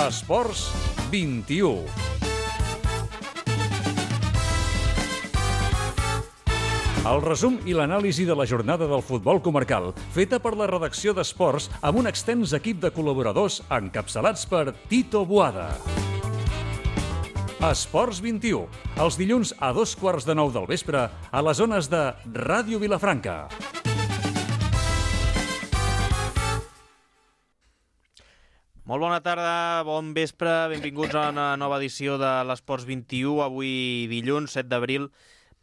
Esports 21. El resum i l'anàlisi de la jornada del futbol comarcal, feta per la redacció d'Esports amb un extens equip de col·laboradors encapçalats per Tito Boada. Esports 21, els dilluns a 8:15 del vespre a les zones de Ràdio Vilafranca. Molt bona tarda, bon vespre, benvinguts a una nova edició de l'Esports 21, avui dilluns 7 d'abril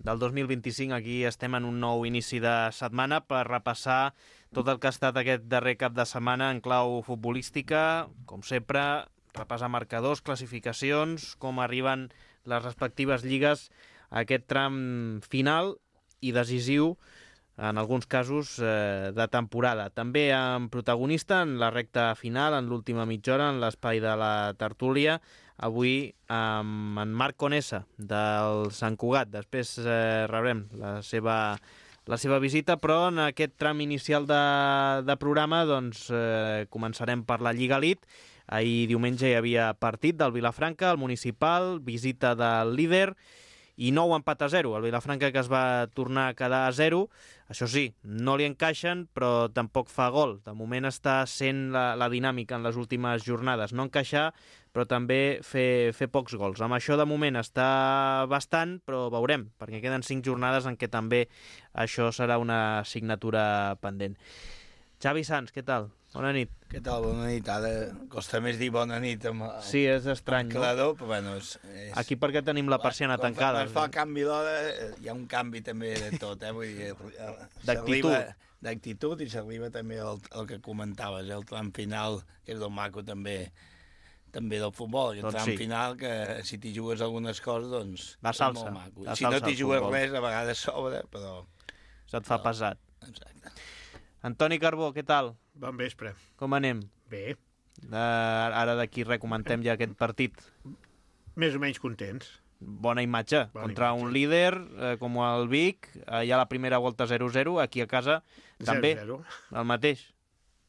del 2025. Aquí estem en un nou inici de setmana per repassar tot el que ha estat aquest darrer cap de setmana en clau futbolística. Com sempre, repassar marcadors, classificacions, com arriben les respectives lligues a aquest tram final i decisiu, en alguns casos, de temporada. També amb protagonista en la recta final, en l'última mitja hora, en l'espai de la tertúlia, avui amb en Marc Conesa, del Sant Cugat. Després rebrem la seva visita, però en aquest tram inicial de programa doncs, començarem per la Lliga Elite. Ahir diumenge hi havia partit del Vilafranca, el municipal, visita del líder, i nou empat a 0. El Vilafranca, que es va tornar a quedar a 0. Això sí, no li encaixen, però tampoc fa gol. De moment està sent la dinàmica en les últimes jornades. No encaixar, però també fer pocs gols. Amb això de moment està bastant, però veurem, perquè queden 5 jornades en què també això serà una assignatura pendent. Xavi Sans, què tal? Bona nit. Què tal? Bona nit. Ara costa més dir bona nit amb sí, és estrany, clador, però bueno... Aquí perquè tenim la persiana tancada. Quan es fa el canvi d'hora, hi ha un canvi també de tot, Vull dir, d'actitud i s'arriba també al que comentaves, el tram final, que és el maco també del futbol, el tram final, que si t'hi jugues algunes coses, doncs... Va salsa. És molt maco. Si no t'hi jugues res, a vegades sobra, però... Se't fa pesat. Exacte. Antoni Carbó, què tal? Bon vespre. Com anem? Bé. Ara d'aquí recomentem ja aquest partit. Més o menys contents. Bona imatge. Contra un líder com el Vic, ja la primera volta 0-0, aquí a casa també 0-0. El mateix.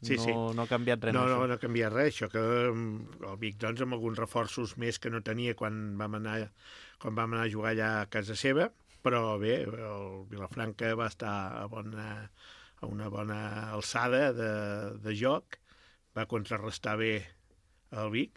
Sí, no ha canviat res. No ha canviat res. Això que el Vic, doncs, amb alguns reforços més que no tenia quan vam anar a jugar allà a casa seva, però bé, el Vilafranca va estar a una bona alçada de joc, va contrarrestar bé el Vic,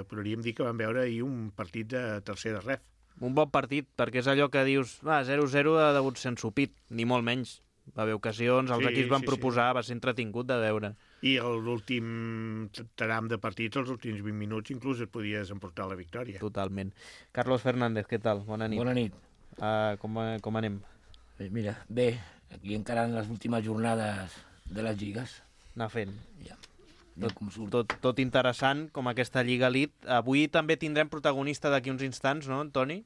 podríem dir que vam veure ahir un partit de tercera ref. Un bon partit, perquè és allò que dius 0-0 ha degut ser ensupit, ni molt menys. Va haver ocasions, els equips van proposar, va ser entretingut de veure. I l'últim tram de partit, els últims 20 minuts, inclús et podies emportar la victòria. Totalment. Carlos Fernández, què tal? Bona nit. Bona nit. Com anem? Mira, bé, aquí encara en les últimes jornades de les lligues. Anar fent. Ja. Tot interessant, com aquesta Lliga Elite. Avui també tindrem protagonista d'aquí uns instants, no, Antoni?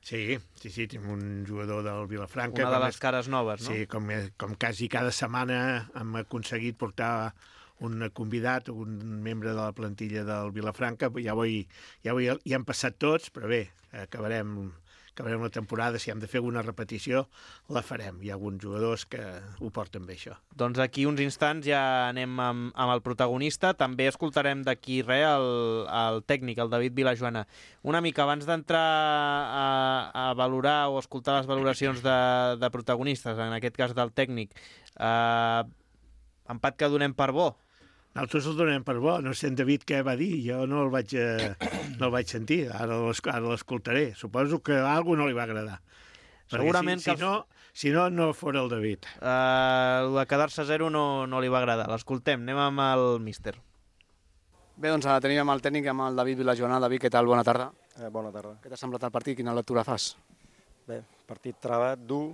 Sí, tinc un jugador del Vilafranca. Una de les cares noves, no? Sí, com quasi cada setmana hem aconseguit portar un convidat, un membre de la plantilla del Vilafranca. Ja han passat tots, però bé, acabarem la temporada. Si hem de fer alguna repetició, la farem. Hi ha alguns jugadors que ho porten bé, això. Doncs aquí uns instants ja anem amb el protagonista. També escoltarem d'aquí el tècnic, el David Vilajoana. Una mica abans d'entrar a valorar o escoltar les valoracions de protagonistes, en aquest cas del tècnic, empat que donem per bo. Nosaltres el donem per bo. No sé en David què va dir, jo no el vaig sentir, ara l'escoltaré. Suposo que a algú no li va agradar. Segurament si no fora el David. El de quedar-se a 0 no li va agradar. L'escoltem, anem amb el míster. Bé, doncs ara tenim amb el tècnic, amb el David Vilajoana. David, què tal? Bona tarda. Bona tarda. Què t'ha semblat el partit? Quina lectura fas? Bé, partit travat, dur,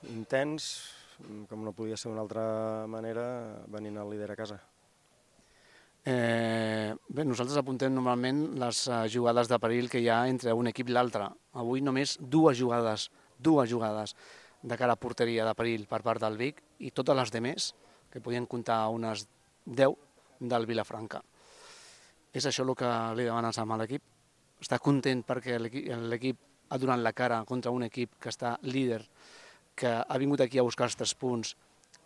intens, com no podia ser d'una altra manera, venint el líder a casa. Bé, nosaltres apuntem normalment les jugades de perill que hi ha entre un equip i l'altre. Avui només dues jugades de cara a porteria de perill per part del Vic i totes les demés, que podien comptar unes 10 del Vilafranca. És això el que li demanes a l'equip? Està content perquè l'equip ha donat la cara contra un equip que està líder, que ha vingut aquí a buscar els 3 punts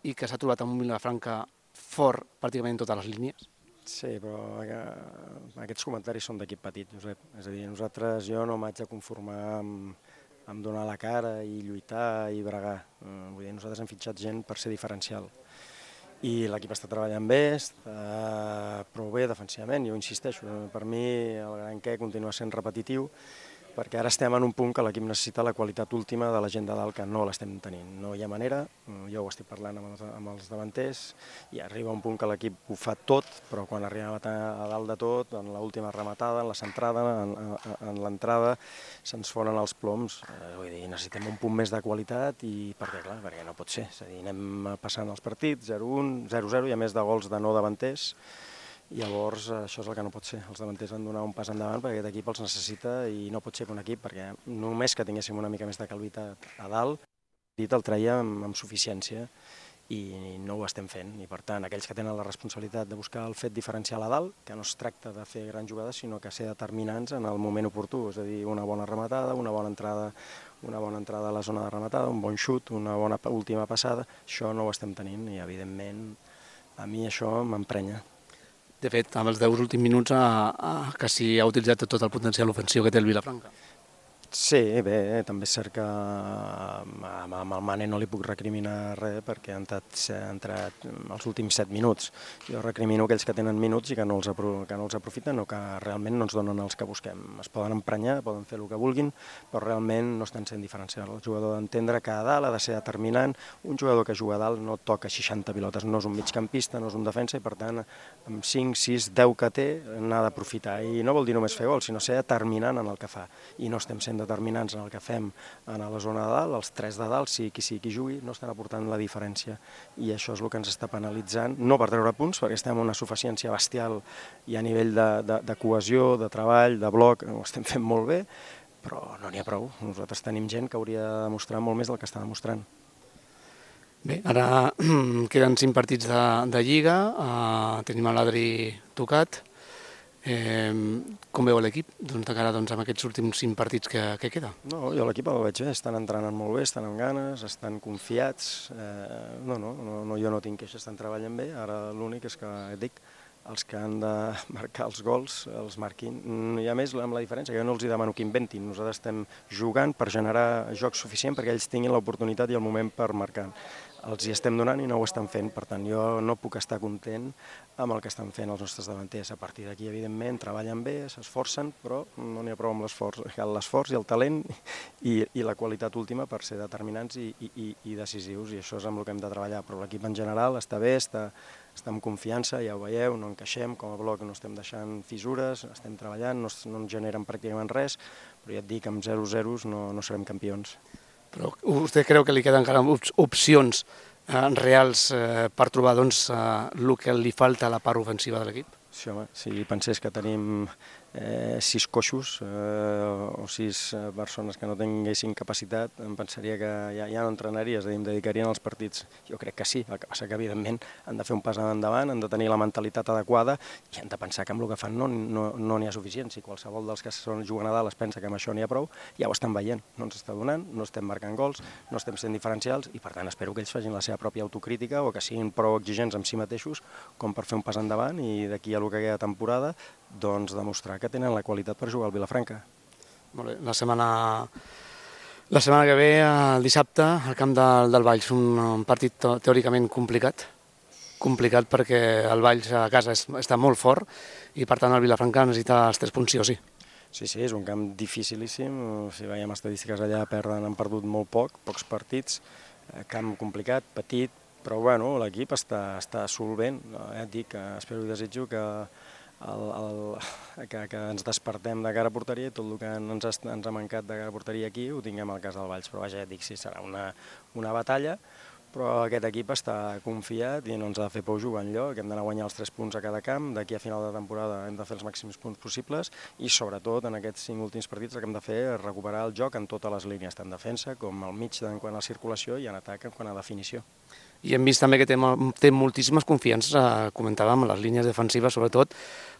i que s'ha trobat amb un Vilafranca fort pràcticament en totes les línies? Sí, però aquests comentaris són d'equip petit, Josep. És a dir, jo no m'haig de conformar amb donar la cara i lluitar i bregar. Vull dir, nosaltres hem fitxat gent per ser diferencial. I l'equip està treballant bé, està prou bé defensivament, jo insisteixo. Per mi el gran què continua sent repetitiu, perquè ara estem en un punt que l'equip necessita la qualitat última de la gent de dalt, que no l'estem tenint. No hi ha manera, jo ho estic parlant amb els davanters, i arriba un punt que l'equip ho fa tot, però quan arriba a dalt de tot, en l'última rematada, en la centrada, en l'entrada, se'ns foren els ploms. Vull dir, necessitem un punt més de qualitat, i perquè no pot ser. És a dir, anem passant els partits, 0-1, 0-0, hi ha més de gols de no davanters. Llavors, això és el que no pot ser. Els davanters han de donar un pas endavant perquè aquest equip els necessita, i no pot ser que un equip, perquè només que tinguéssim una mica més de qualitat a dalt, el treia amb suficiència, i no ho estem fent. I per tant, aquells que tenen la responsabilitat de buscar el fet diferencial a dalt, que no es tracta de fer grans jugades, sinó que ser determinants en el moment oportú, és a dir, una bona rematada, una bona entrada a la zona de rematada, un bon xut, una bona última passada, això no ho estem tenint, i evidentment a mi això m'emprenya. De fet, amb els 10 últims minuts quasi ha utilitzat tot el potencial ofensiu que té el Vilafranca. Sí, bé, també és cert que amb el Mane no li puc recriminar res perquè ha entrat els últims 7 minuts. Jo recrimino aquells que tenen minuts i que no els aprofiten o que realment no ens donen els que busquem. Es poden emprenyar, poden fer el que vulguin, però realment no estan sent diferencials. El jugador d'entendre que a dalt ha de ser determinant. Un jugador que juga a dalt no toca 60 pilotes, no és un migcampista, no és un defensa, i per tant, amb 5, 6, 10 que té, n'ha d'aprofitar. I no vol dir només fer gol, sinó ser determinant en el que fa. I no estem sent determinants en el que fem a la zona de dalt, els 3 de dalt, sigui qui jugui, no estan aportant la diferència, i això és el que ens està penalitzant, no per treure punts, perquè estem en una suficiència bestial i a nivell de cohesió, de treball, de bloc, ho estem fent molt bé, però no n'hi ha prou. Nosaltres tenim gent que hauria de demostrar molt més del que està demostrant. Bé, ara queden 5 partits de Lliga, tenim l'Adri tocat. Com veu l'equip de cara amb aquests últims 5 partits que queda? No, jo l'equip el veig bé, estan entrenant molt bé, estan amb ganes, estan confiats. Jo no tinc queixes, estan treballant bé. Ara l'únic és que, els que han de marcar els gols els marquin. I a més, amb la diferència, que jo no els demano que inventin. Nosaltres estem jugant per generar joc suficient perquè ells tinguin l'oportunitat i el moment per marcar. Els hi estem donant i no ho estan fent, per tant jo no puc estar content amb el que estan fent els nostres davanters. A partir d'aquí, evidentment, treballen bé, s'esforcen, però no n'hi ha prou amb l'esforç i el talent i la qualitat última per ser determinants i decisius, i això és amb el que hem de treballar. Però l'equip en general està bé, està amb confiança, ja ho veieu, no encaixem, com a bloc no estem deixant fissures, estem treballant, no ens generen pràcticament res, però ja et dic, amb 0-0 no serem campions. Però vostè creu que li queden encara opcions reals per trobar el que li falta a la part ofensiva de l'equip? Sí, home, si pensés que tenim 6 coixos o 6 persones que no tinguessin capacitat, em pensaria que ja no entrenaria, és a dir, em dedicarien als partits. Jo crec que sí, el que passa que evidentment han de fer un pas endavant, han de tenir la mentalitat adequada i han de pensar que amb el que fan no n'hi ha suficient. Si qualsevol dels que juguen a dalt es pensa que amb això n'hi ha prou, ja ho estan veient, no ens està donant, no estem marcant gols, no estem sent diferencials, i per tant espero que ells facin la seva pròpia autocrítica o que siguin prou exigents amb si mateixos com per fer un pas endavant i d'aquí a el que queda temporada doncs demostrar que tenen la qualitat per jugar al Vilafranca. Molt bé. La setmana que ve, el dissabte, al camp del Valls, un partit teòricament complicat perquè el Valls a casa està molt fort i per tant el Vilafranca necessita els 3 punts sí o sí. Sí, és un camp dificilíssim. Si veiem estadístiques allà, han perdut molt pocs partits. Camp complicat, petit, però bueno, l'equip està solvent. Ja et dic, espero i desitjo que ens despertem de cara a porteria i tot el que ens ha mancat de cara a porteria aquí ho tinguem al cas del Valls. Però vaja, ja et dic, sí, serà una batalla, però aquest equip està confiat i no ens ha de fer por jugar enlloc, hem d'anar a guanyar els 3 punts a cada camp, d'aquí a final de temporada hem de fer els màxims punts possibles i sobretot en aquests 5 últims partits el que hem de fer és recuperar el joc en totes les línies, tant defensa com al mig en quant a circulació i en atac en quant a definició. I hem vist també que té moltíssimes confiances, comentàvem, en les línies defensives, sobretot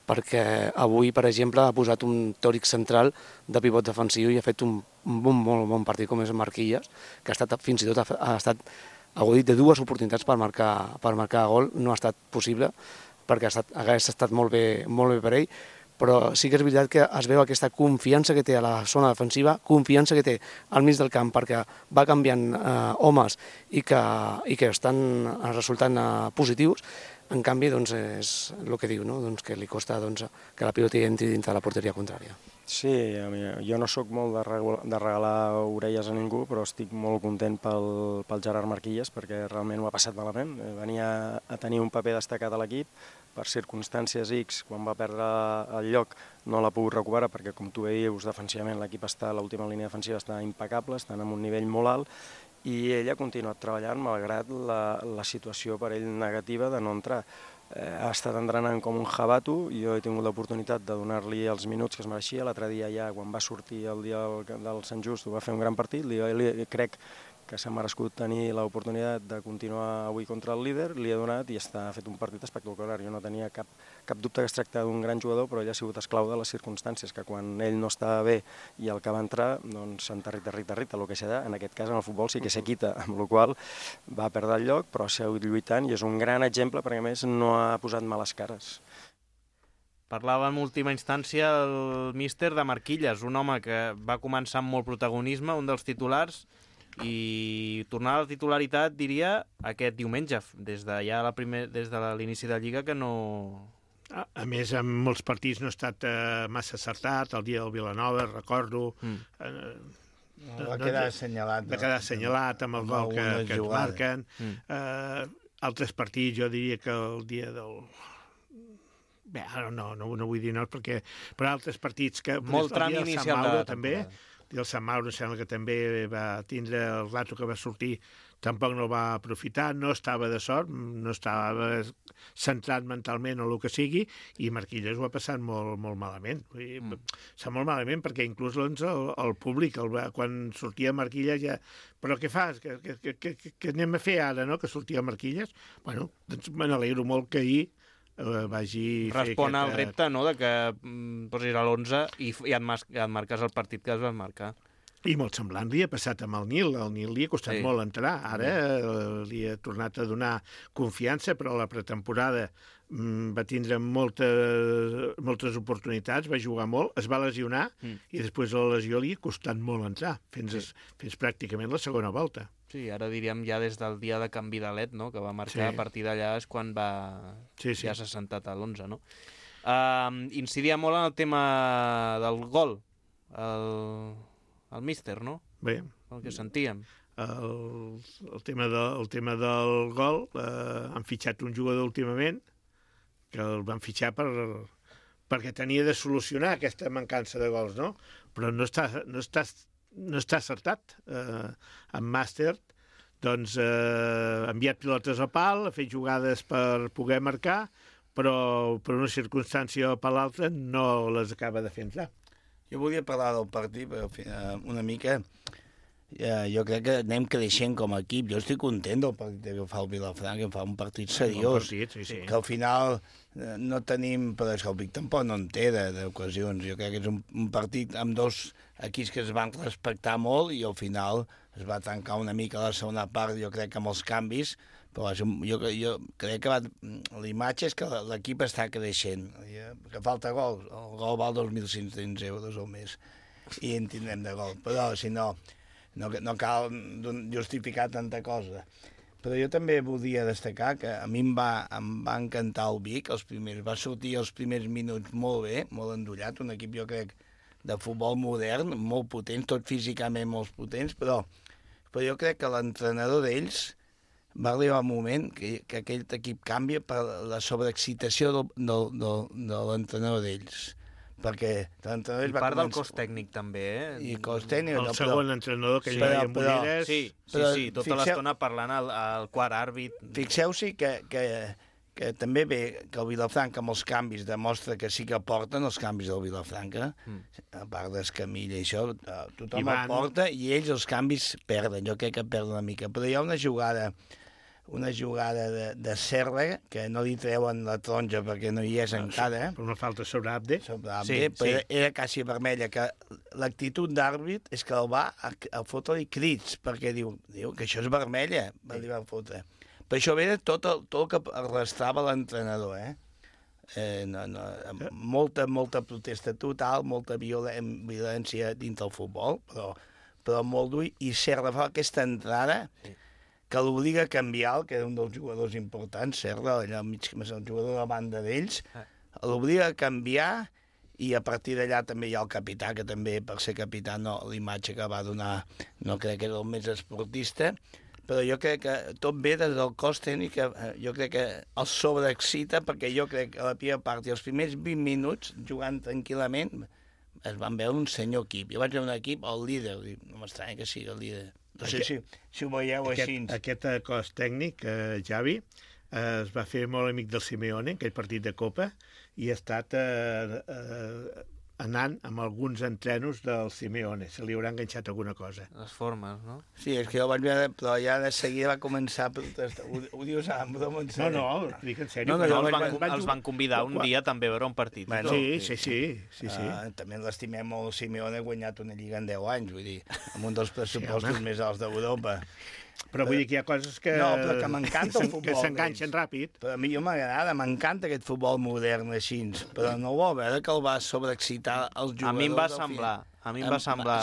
perquè avui, per exemple, ha posat un teòric central de pivot defensiu i ha fet un molt bon partit com és Marquilles, que fins i tot ha estat agudit de 2 oportunitats per marcar gol, no ha estat possible. perquè hagués estat molt bé per ell, però sí que és veritat que es veu aquesta confiança que té a la zona defensiva, confiança que té al mig del camp perquè va canviant homes i que estan resultant positius. En canvi, doncs, és el que diu, no? Doncs que li costa que la pilota entri dintre de la porteria contrària. Sí, jo no sóc molt de regalar orelles a ningú, però estic molt content pel Gerard Marquilles, perquè realment ho ha passat malament. Venia a tenir un paper destacat a l'equip, per circumstàncies X, quan va perdre el lloc, no l'ha pogut recuperar, perquè com tu dius, defensivament l'equip l'última línia defensiva està impecable, estan en un nivell molt alt, i ell ha continuat treballant malgrat la situació per ell negativa de no entrar. Ha estat entrenant com un jabato, jo he tingut l'oportunitat de donar-li els minuts que es mereixia. L'altre dia ja, quan va sortir el dia del Sant Just, va fer un gran partit, crec que s'ha merescut tenir l'oportunitat de continuar avui contra el líder, li ha donat i ha fet un partit espectacular. Jo no tenia cap dubte que es tracta d'un gran jugador, però ell ha sigut esclau de les circumstàncies, que quan ell no estava bé i el que va entrar, doncs s'enterrita, el que serà. En aquest cas, en el futbol sí que se quita, amb la qual va perdre el lloc, però ha seguit lluitant i és un gran exemple perquè, a més, no ha posat males cares. Parlava en última instància el míster de Marquilles, un home que va començar amb molt protagonisme, un dels titulars, i tornar a la titularitat, diria, aquest diumenge, des de l'inici de la Lliga, que no... A més, en molts partits no ha estat massa acertat, el dia del Vilanova, recordo... Va quedar assenyalat. Va quedar assenyalat amb el gol que et marquen. Altres partits, jo diria que el dia del... Bé, ara no vull dir no, perquè... Però altres partits que... Molt tram inicial de la temporada. I el Sant Mauro sembla que també va tindre el rato que va sortir, tampoc no va aprofitar, no estava de sort, no estava centrat mentalment o el que sigui, i Marquilles ho ha passat molt, molt malament. Molt malament perquè inclús el públic, quan sortia Marquilles ja... Però què fas? Què anem a fer ara, no?, que sortia Marquilles? Bueno, doncs me n'alegro molt que ahir vagi... Respon al repte, no?, de que posis a l'11 i et marques el partit que es va marcar. I molt semblant li ha passat amb el Nil. El Nil li ha costat molt entrar. Ara li ha tornat a donar confiança, però a la pretemporada va tindre moltes oportunitats, va jugar molt, es va lesionar i després la lesió li ha costat molt entrar, fins pràcticament la segona volta. Sí, ara diríem ja des del dia de canvi d'alet, no?, que va marcar, a partir d'allà és quan ja s'ha sentat a l'11, no? Incidia molt en el tema del gol, el míster, no? Bé. El que sentíem. El tema del gol, han fitxat un jugador últimament, que el van fitxar perquè tenia de solucionar aquesta mancança de gols, no? Però no està acertat. En Màster, doncs, ha enviat pilotes a pal, ha fet jugades per poder marcar, però per una circumstància o per l'altra no les acaba de fer entrar. Jo volia parlar del partit, però una mica... Jo crec que anem creixent com a equip. Jo estic content del partit que fa el Vilafranca, que fa un partit seriós. Que al final no tenim... Però és que el Vic tampoc no en té d'ocasions. Jo crec que és un partit amb dos equips que es van respectar molt i al final es va tancar una mica la segona part, jo crec que amb els canvis, però jo crec que l'imatge és que l'equip està creixent. Que falta gol. El gol val 2.500 euros o més i en tindrem de gol. Però si no cal justificar tanta cosa. Però jo també volia destacar que a mi em va encantar el Vic, va sortir els primers minuts molt bé, molt endollat, un equip jo crec de futbol modern, molt potent, tot físicament molt potents, però jo crec que l'entrenador d'ells va arribar un moment que aquell equip canvia per la sobreexcitació de l'entrenador d'ells. Perquè l'entrenador I part del cos tècnic també, I cos tècnic... El segon entrenador que hi havia amb Ulleres... Sí, tota l'estona parlant al quart àrbit. Fixeu-s'hi que també ve que el Vilafranca amb els canvis demostra que sí que porten els canvis del Vilafranca, a part d'Escamilla i això, tothom el porta i ells els canvis perden, jo crec que perden una mica. Però hi ha una jugada de Serra que no li treuen la taronja perquè no hi és encara. Per una falta sobre Abde. Però era quasi vermella, que l'actitud d'àrbit és que el va a fotre-li crits, perquè diu que això és vermella, li va fotre. Per això ve tot el que arrastrava l'entrenador, molta protesta total, molta violència dins del futbol, però molt dur, i Serra fa aquesta entrada que l'obliga a canviar, que era un dels jugadors importants, Serra, allà al mig, el jugador de la banda d'ells, l'obliga a canviar, i a partir d'allà també hi ha el capità, que també per ser capità l'imatge que va donar no crec que era el més esportista, però jo crec que tot ve des del cos tècnic, jo crec que el sobreexcita, perquè jo crec que a la primera part i els primers 20 minuts, jugant tranquil·lament, es van veure un senyor equip. Jo vaig veure un equip, el líder, no m'estranya que sigui el líder. No sé si ho veieu així. Aquest cos tècnic, Javi, es va fer molt amic del Simeone, aquell partit de Copa, i ha estat anant amb alguns entrenos del Simeone. Se li haurà enganxat alguna cosa. Les formes, no? Sí, és que jo vaig veure, però ja de seguida va començar a protestar. Ho dius amb broma, en sèrio? No, dic en sèrio. Els van convidar un dia també a veure un partit. Bueno, sí. També l'estimem molt. El Simeone ha guanyat una lliga en 10 anys, vull dir, amb un dels pressupostos més alts d'Europa. Però vull dir que hi ha coses que... No, però que m'encanta el futbol. Que s'enganxen ràpid. Però a mi m'agrada, m'encanta aquest futbol modern així, però no vol veure que el va sobreexcitar els jugadors. A mi em va semblar...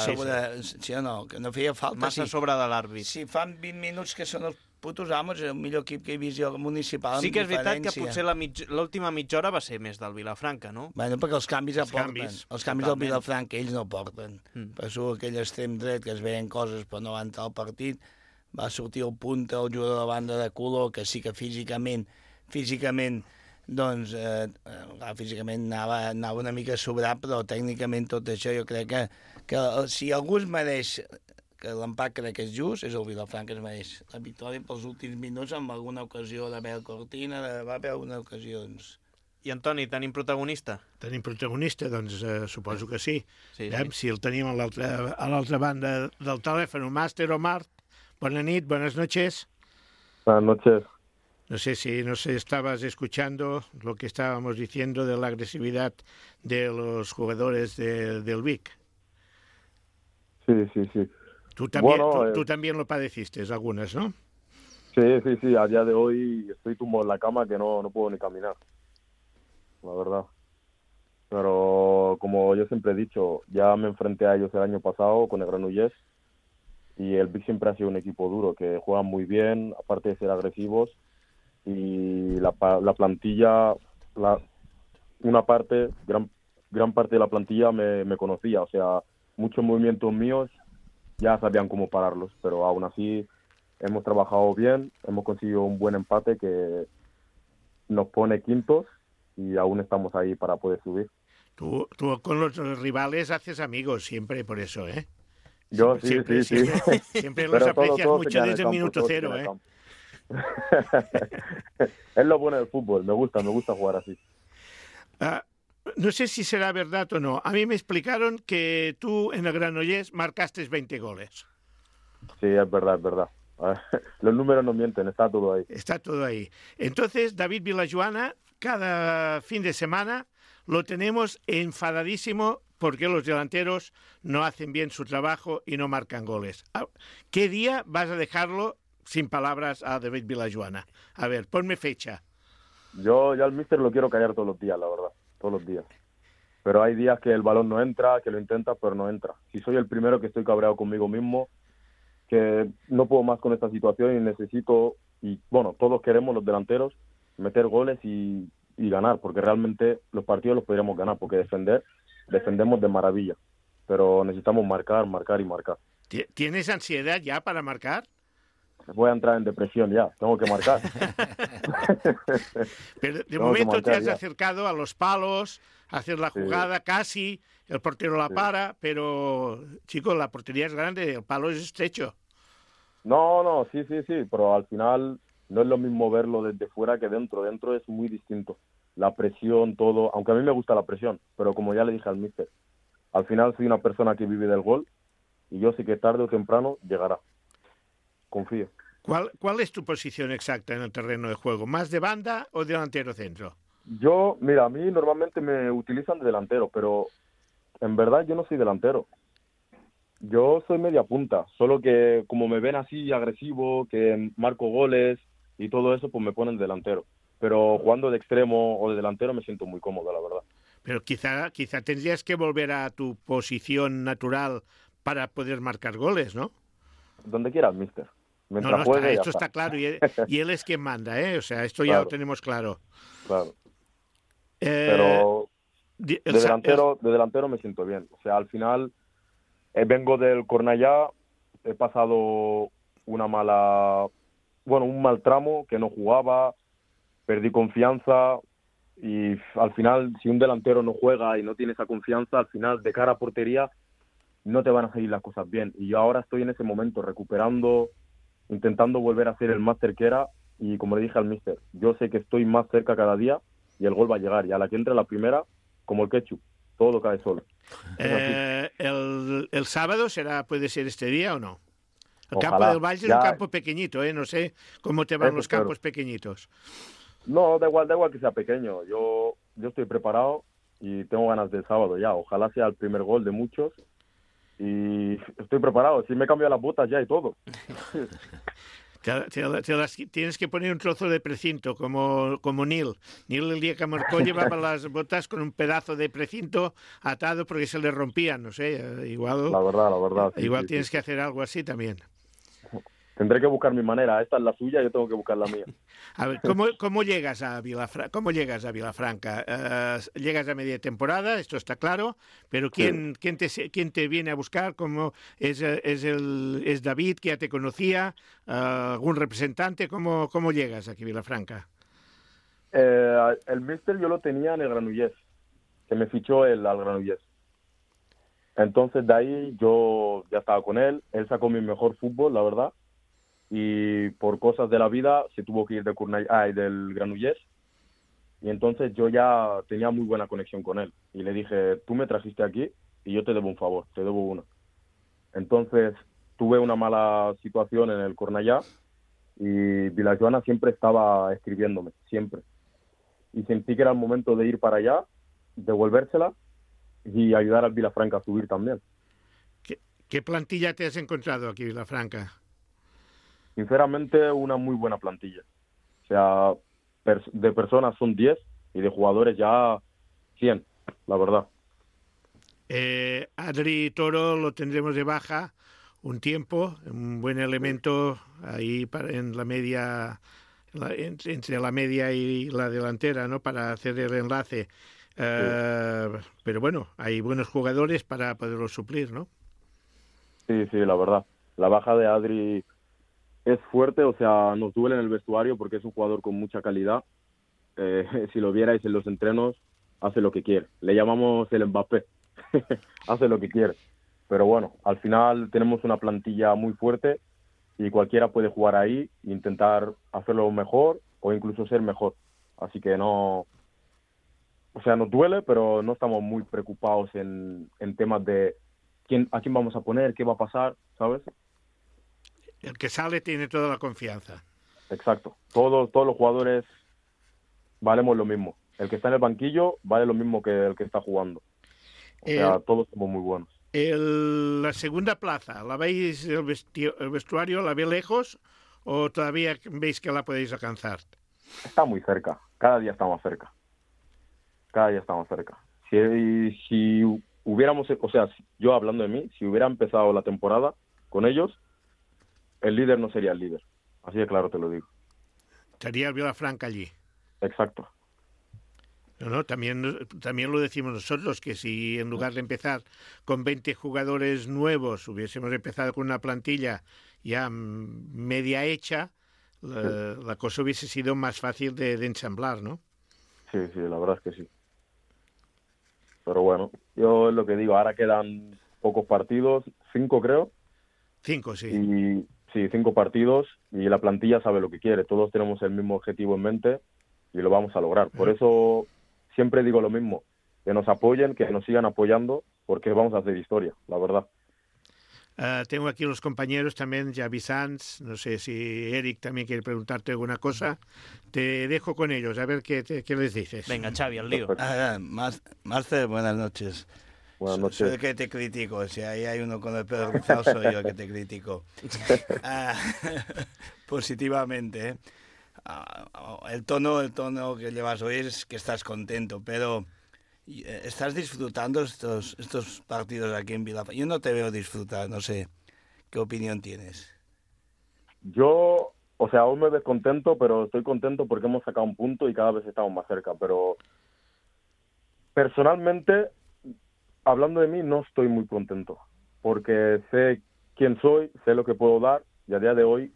Sí o no, que no feia falta. Massa sobre de l'àrbit. Si fan 20 minuts que són els putos amos, és el millor equip que he vist jo municipal. Sí que és veritat que potser l'última mitja hora va ser més del Vilafranca, no? Bueno, perquè els canvis aporten. Els canvis del Vilafranca ells no porten. Per això aquell extrem dret que es veien coses però no va entrar al partit, va sortir el punta, el jugador de la banda de color, que sí que físicament doncs, físicament anava una mica sobrat, però tècnicament tot això jo crec que si algú es mereix, que l'empat crec que és just, és el Vilafranca, es mereix la victòria pels últims minuts amb alguna ocasió d'Abel Cortina, va haver alguna ocasió, doncs... I Antoni, tenim protagonista? Tenim protagonista? Doncs suposo que sí. Sí. Si el tenim a l'altra banda del telèfon, Màster Omar. Buenas nit, buenas noches. Buenas noches. No sé si estabas escuchando lo que estábamos diciendo de la agresividad de los jugadores del Vic. Sí. Tú también lo padeciste, algunas, ¿no? Sí. A día de hoy estoy tumbado en la cama que no puedo ni caminar, la verdad. Pero como yo siempre he dicho, ya me enfrenté a ellos el año pasado con el Granollers. Y el Vic siempre ha sido un equipo duro, que juega muy bien, aparte de ser agresivos. Y la plantilla, gran parte de la plantilla me conocía. O sea, muchos movimientos míos ya sabían cómo pararlos. Pero aún así hemos trabajado bien, hemos conseguido un buen empate que nos pone quintos y aún estamos ahí para poder subir. Tú con los rivales haces amigos siempre por eso, ¿eh? Yo sí. Siempre los aprecias mucho desde el minuto cero, ¿eh? Es lo bueno del fútbol, me gusta jugar así. No sé si será verdad o no. A mí me explicaron que tú en el Granollers marcaste 20 goles. Sí, es verdad. Los números no mienten, está todo ahí. Está todo ahí. Entonces, David Vilajoana, cada fin de semana lo tenemos enfadadísimo porque los delanteros no hacen bien su trabajo y no marcan goles. ¿Qué día vas a dejarlo sin palabras a David Vilajoana? A ver, ponme fecha. Yo ya al míster lo quiero callar todos los días, la verdad, todos los días. Pero hay días que el balón no entra, que lo intenta, pero no entra. Si soy el primero que estoy cabreado conmigo mismo, que no puedo más con esta situación y necesito, y bueno, todos queremos los delanteros, meter goles y ganar, porque realmente los partidos los podríamos ganar, porque defendemos de maravilla, pero necesitamos marcar. ¿Tienes ansiedad ya para marcar? Voy a entrar en depresión ya, tengo que marcar. Pero de momento te has acercado a los palos, a hacer la jugada, casi, el portero la para, pero, chicos, la portería es grande, el palo es estrecho. No, sí, pero al final no es lo mismo verlo desde fuera que dentro. Dentro es muy distinto. La presión, todo, aunque a mí me gusta la presión, pero como ya le dije al míster, al final soy una persona que vive del gol y yo sé que tarde o temprano llegará. Confío. ¿Cuál es tu posición exacta en el terreno de juego? ¿Más de banda o delantero centro? Mira, a mí normalmente me utilizan de delantero, pero en verdad yo no soy delantero. Yo soy media punta, solo que como me ven así agresivo, que marco goles y todo eso, pues me ponen delantero. pero jugando de extremo o de delantero me siento muy cómodo, la verdad. Pero quizá tendrías que volver a tu posición natural para poder marcar goles, ¿no? Donde quieras, mister. Mientras juegue, esto está claro, y él es quien manda, ¿eh? O sea, esto ya lo tenemos claro. Claro. Pero de delantero me siento bien. O sea, al final vengo del Cornellá, he pasado un mal tramo, que no jugaba, perdí confianza y al final si un delantero no juega y no tiene esa confianza, al final de cara a portería no te van a salir las cosas bien. Y yo ahora estoy en ese momento recuperando, intentando volver a ser el máster que era, y como le dije al míster, yo sé que estoy más cerca cada día y el gol va a llegar, y a la que entre la primera, como el ketchup, todo cae solo. ¿El sábado puede ser este día o no? El Ojalá. campo del Valle es un campo pequeñito, no sé cómo te van los campos pequeñitos. No, da igual que sea pequeño, yo estoy preparado y tengo ganas del sábado ya, ojalá sea el primer gol de muchos, y estoy preparado, si me cambio las botas ya y todo. Tienes que poner un trozo de precinto, como Neil. Neil el día que marcó llevaba las botas con un pedazo de precinto atado porque se le rompían, no sé, igual... La verdad. Igual tienes que hacer algo así también. Tendré que buscar mi manera, esta es la suya, yo tengo que buscar la mía. A ver, ¿cómo llegas a Vilafranca? Llegas a media temporada, esto está claro, pero ¿quién te viene a buscar? ¿Cómo es David, que ya te conocía? ¿Algún representante? ¿Cómo llegas aquí a Vilafranca? El míster yo lo tenía en el Granollers, que me fichó al Granollers. Entonces de ahí yo ya estaba con él sacó mi mejor fútbol, la verdad, y por cosas de la vida se tuvo que ir del Granollers, y entonces yo ya tenía muy buena conexión con él, y le dije, tú me trajiste aquí y yo te debo un favor, te debo uno. Entonces tuve una mala situación en el Cornellá y Vilajoana siempre estaba escribiéndome, siempre, y sentí que era el momento de ir para allá, devolvérsela y ayudar al Vilafranca a subir también. ¿Qué plantilla te has encontrado aquí, Vilafranca? Sinceramente, una muy buena plantilla. O sea, de personas son 10 y de jugadores ya 100, la verdad. Adri Toro lo tendremos de baja un tiempo, un buen elemento ahí en la media, entre la media y la delantera, ¿no? Para hacer el enlace. Pero bueno, hay buenos jugadores para poderlo suplir, ¿no? Sí, la verdad. La baja de Adri es fuerte, o sea, nos duele en el vestuario porque es un jugador con mucha calidad. Si lo vierais en los entrenos, hace lo que quiere. Le llamamos el Mbappé. Hace lo que quiere. Pero bueno, al final tenemos una plantilla muy fuerte y cualquiera puede jugar ahí e intentar hacerlo mejor o incluso ser mejor. Así que no... O sea, nos duele, pero no estamos muy preocupados en temas de a quién vamos a poner, qué va a pasar, ¿sabes? El que sale tiene toda la confianza. Exacto. Todos los jugadores valemos lo mismo. El que está en el banquillo vale lo mismo que el que está jugando. O sea, todos somos muy buenos. La segunda plaza, ¿la veis el vestuario, la ve lejos o todavía veis que la podéis alcanzar? Está muy cerca. Cada día está más cerca. Si hubiéramos, o sea, yo hablando de mí, si hubiera empezado la temporada con ellos, el líder no sería el líder. Así de claro te lo digo. Estaría el Vilafranca allí. Exacto. No, también lo decimos nosotros, que si en lugar de empezar con 20 jugadores nuevos hubiésemos empezado con una plantilla ya media hecha, la cosa hubiese sido más fácil de ensamblar, ¿no? Sí, la verdad es que sí. Pero bueno, yo es lo que digo, ahora quedan pocos partidos, 5 creo. 5, sí. Y sí, 5 partidos y la plantilla sabe lo que quiere. Todos tenemos el mismo objetivo en mente y lo vamos a lograr. Por eso siempre digo lo mismo, que nos apoyen, que nos sigan apoyando, porque vamos a hacer historia, la verdad. Tengo aquí los compañeros también, Javi Sanz, no sé si Eric también quiere preguntarte alguna cosa. Te dejo con ellos, a ver qué les dices. Venga, Xavi, al lío. Marce, buenas noches. Buenas noches. Soy el que te critico, si ahí hay uno con el pelo rizado, soy yo el que te critico. Positivamente, El tono que llevas hoy es que estás contento, pero ¿estás disfrutando estos partidos aquí en Vilafranca? Yo no te veo disfrutar, no sé, ¿qué opinión tienes? Yo, aún me ves contento, pero estoy contento porque hemos sacado un punto y cada vez estamos más cerca, pero personalmente, hablando de mí, no estoy muy contento, porque sé quién soy, sé lo que puedo dar, y a día de hoy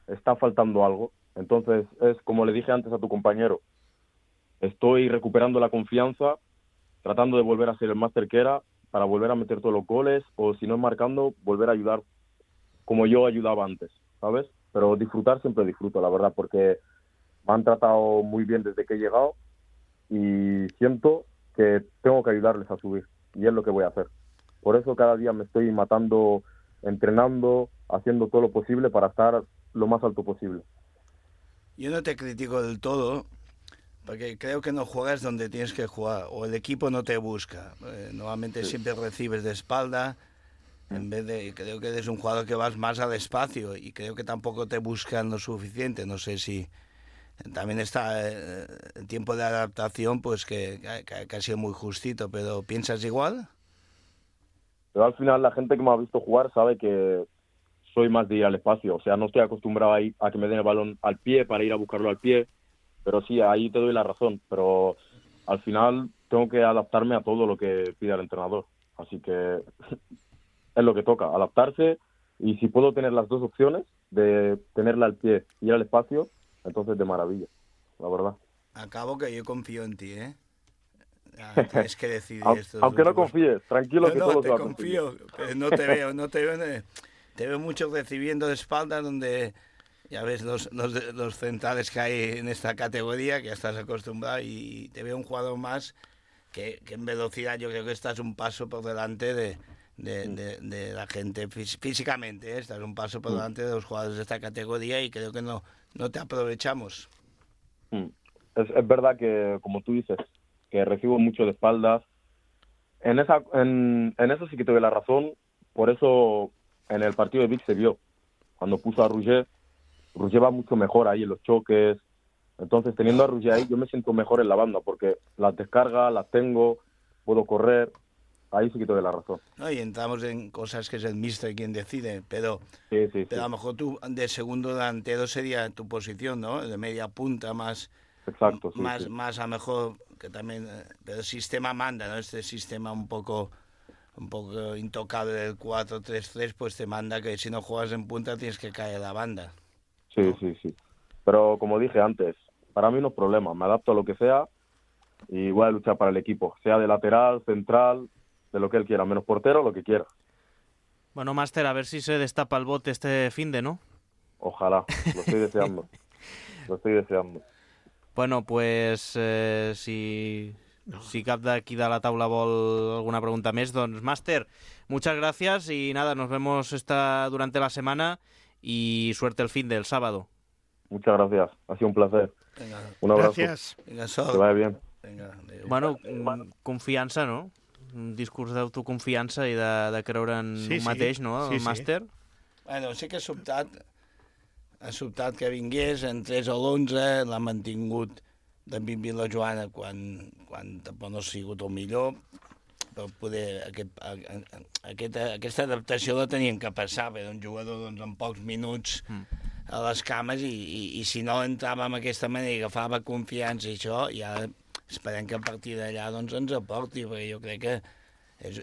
está faltando algo. Entonces, es como le dije antes a tu compañero, estoy recuperando la confianza, tratando de volver a ser el máster que era, para volver a meter todos los goles, o si no marcando, volver a ayudar como yo ayudaba antes, ¿sabes? Pero disfrutar siempre disfruto, la verdad, porque me han tratado muy bien desde que he llegado y siento que tengo que ayudarles a subir, y es lo que voy a hacer. Por eso cada día me estoy matando, entrenando, haciendo todo lo posible para estar lo más alto posible. Yo no te critico del todo, porque creo que no juegas donde tienes que jugar, o el equipo no te busca. Normalmente siempre recibes de espalda, creo que eres un jugador que vas más al espacio, y creo que tampoco te buscan lo suficiente. No sé si también está el tiempo de adaptación, pues que ha sido muy justito, pero ¿piensas igual? Pero al final la gente que me ha visto jugar sabe que soy más de ir al espacio, no estoy acostumbrado a que me den el balón al pie para ir a buscarlo al pie, pero sí, ahí te doy la razón, pero al final tengo que adaptarme a todo lo que pida el entrenador, así que es lo que toca, adaptarse, y si puedo tener las dos opciones, de tenerla al pie y ir al espacio, entonces de maravilla, la verdad. Acabo que yo confío en ti, ¿eh? Tienes que decidir esto. Aunque no confíes, tranquilo que todo se va a conseguir. No, te confío, pero no te veo. Te veo mucho recibiendo de espalda, donde ya ves los centrales que hay en esta categoría, que ya estás acostumbrado, y te veo un jugador más que en velocidad yo creo que estás un paso por delante de la gente físicamente, ¿eh? Estás un paso por delante de los jugadores de esta categoría, y creo que no te aprovechamos. Es verdad que, como tú dices, que recibo mucho de espaldas. En eso sí que te doy la razón. Por eso en el partido de Vic se vio. Cuando puso a Roger va mucho mejor ahí en los choques. Entonces, teniendo a Roger ahí, yo me siento mejor en la banda, porque las descargas las tengo, puedo correr. Ahí sí que te doy la razón. No, y entramos en cosas que es el míster quien decide, pero a lo mejor tú de segundo delantero sería tu posición, ¿no? De media punta más. Exacto, sí, más a lo mejor, que también, pero el sistema manda, ¿no? Este sistema un poco intocable del 4-3-3, pues te manda que si no juegas en punta tienes que caer a la banda. Sí, ¿no? Sí. Pero como dije antes, para mí no es problema, me adapto a lo que sea y voy a luchar para el equipo, sea de lateral, central, de lo que él quiera, menos portero, lo que quiera. Bueno, máster, a ver si se destapa el bote este finde, ¿no? Ojalá, lo estoy deseando. Bueno, pues si cap d'aquí de la taula vol alguna pregunta més, doncs máster, muchas gracias y nada, nos vemos durante la semana y suerte el fin del sábado. Muchas gracias, ha sido un placer. Venga. Un abrazo. Gracias. Venga, que vaya bien. Venga, bueno, confiança, no? Un discurs d'autoconfiança i de creure en un mateix, no? El màster. Bueno, sí que ha sobtat que vingués, entrés a l'11, l'ha mantingut d'en Vila Joana quan tampoc no ha sigut el millor, però poder aquesta adaptació la tenien que passar, perquè un jugador doncs, en pocs minuts a les cames, i si no entrava amb aquesta manera i agafava confiança i això, ja esperem que a partir d'allà doncs, ens aporti, perquè jo crec que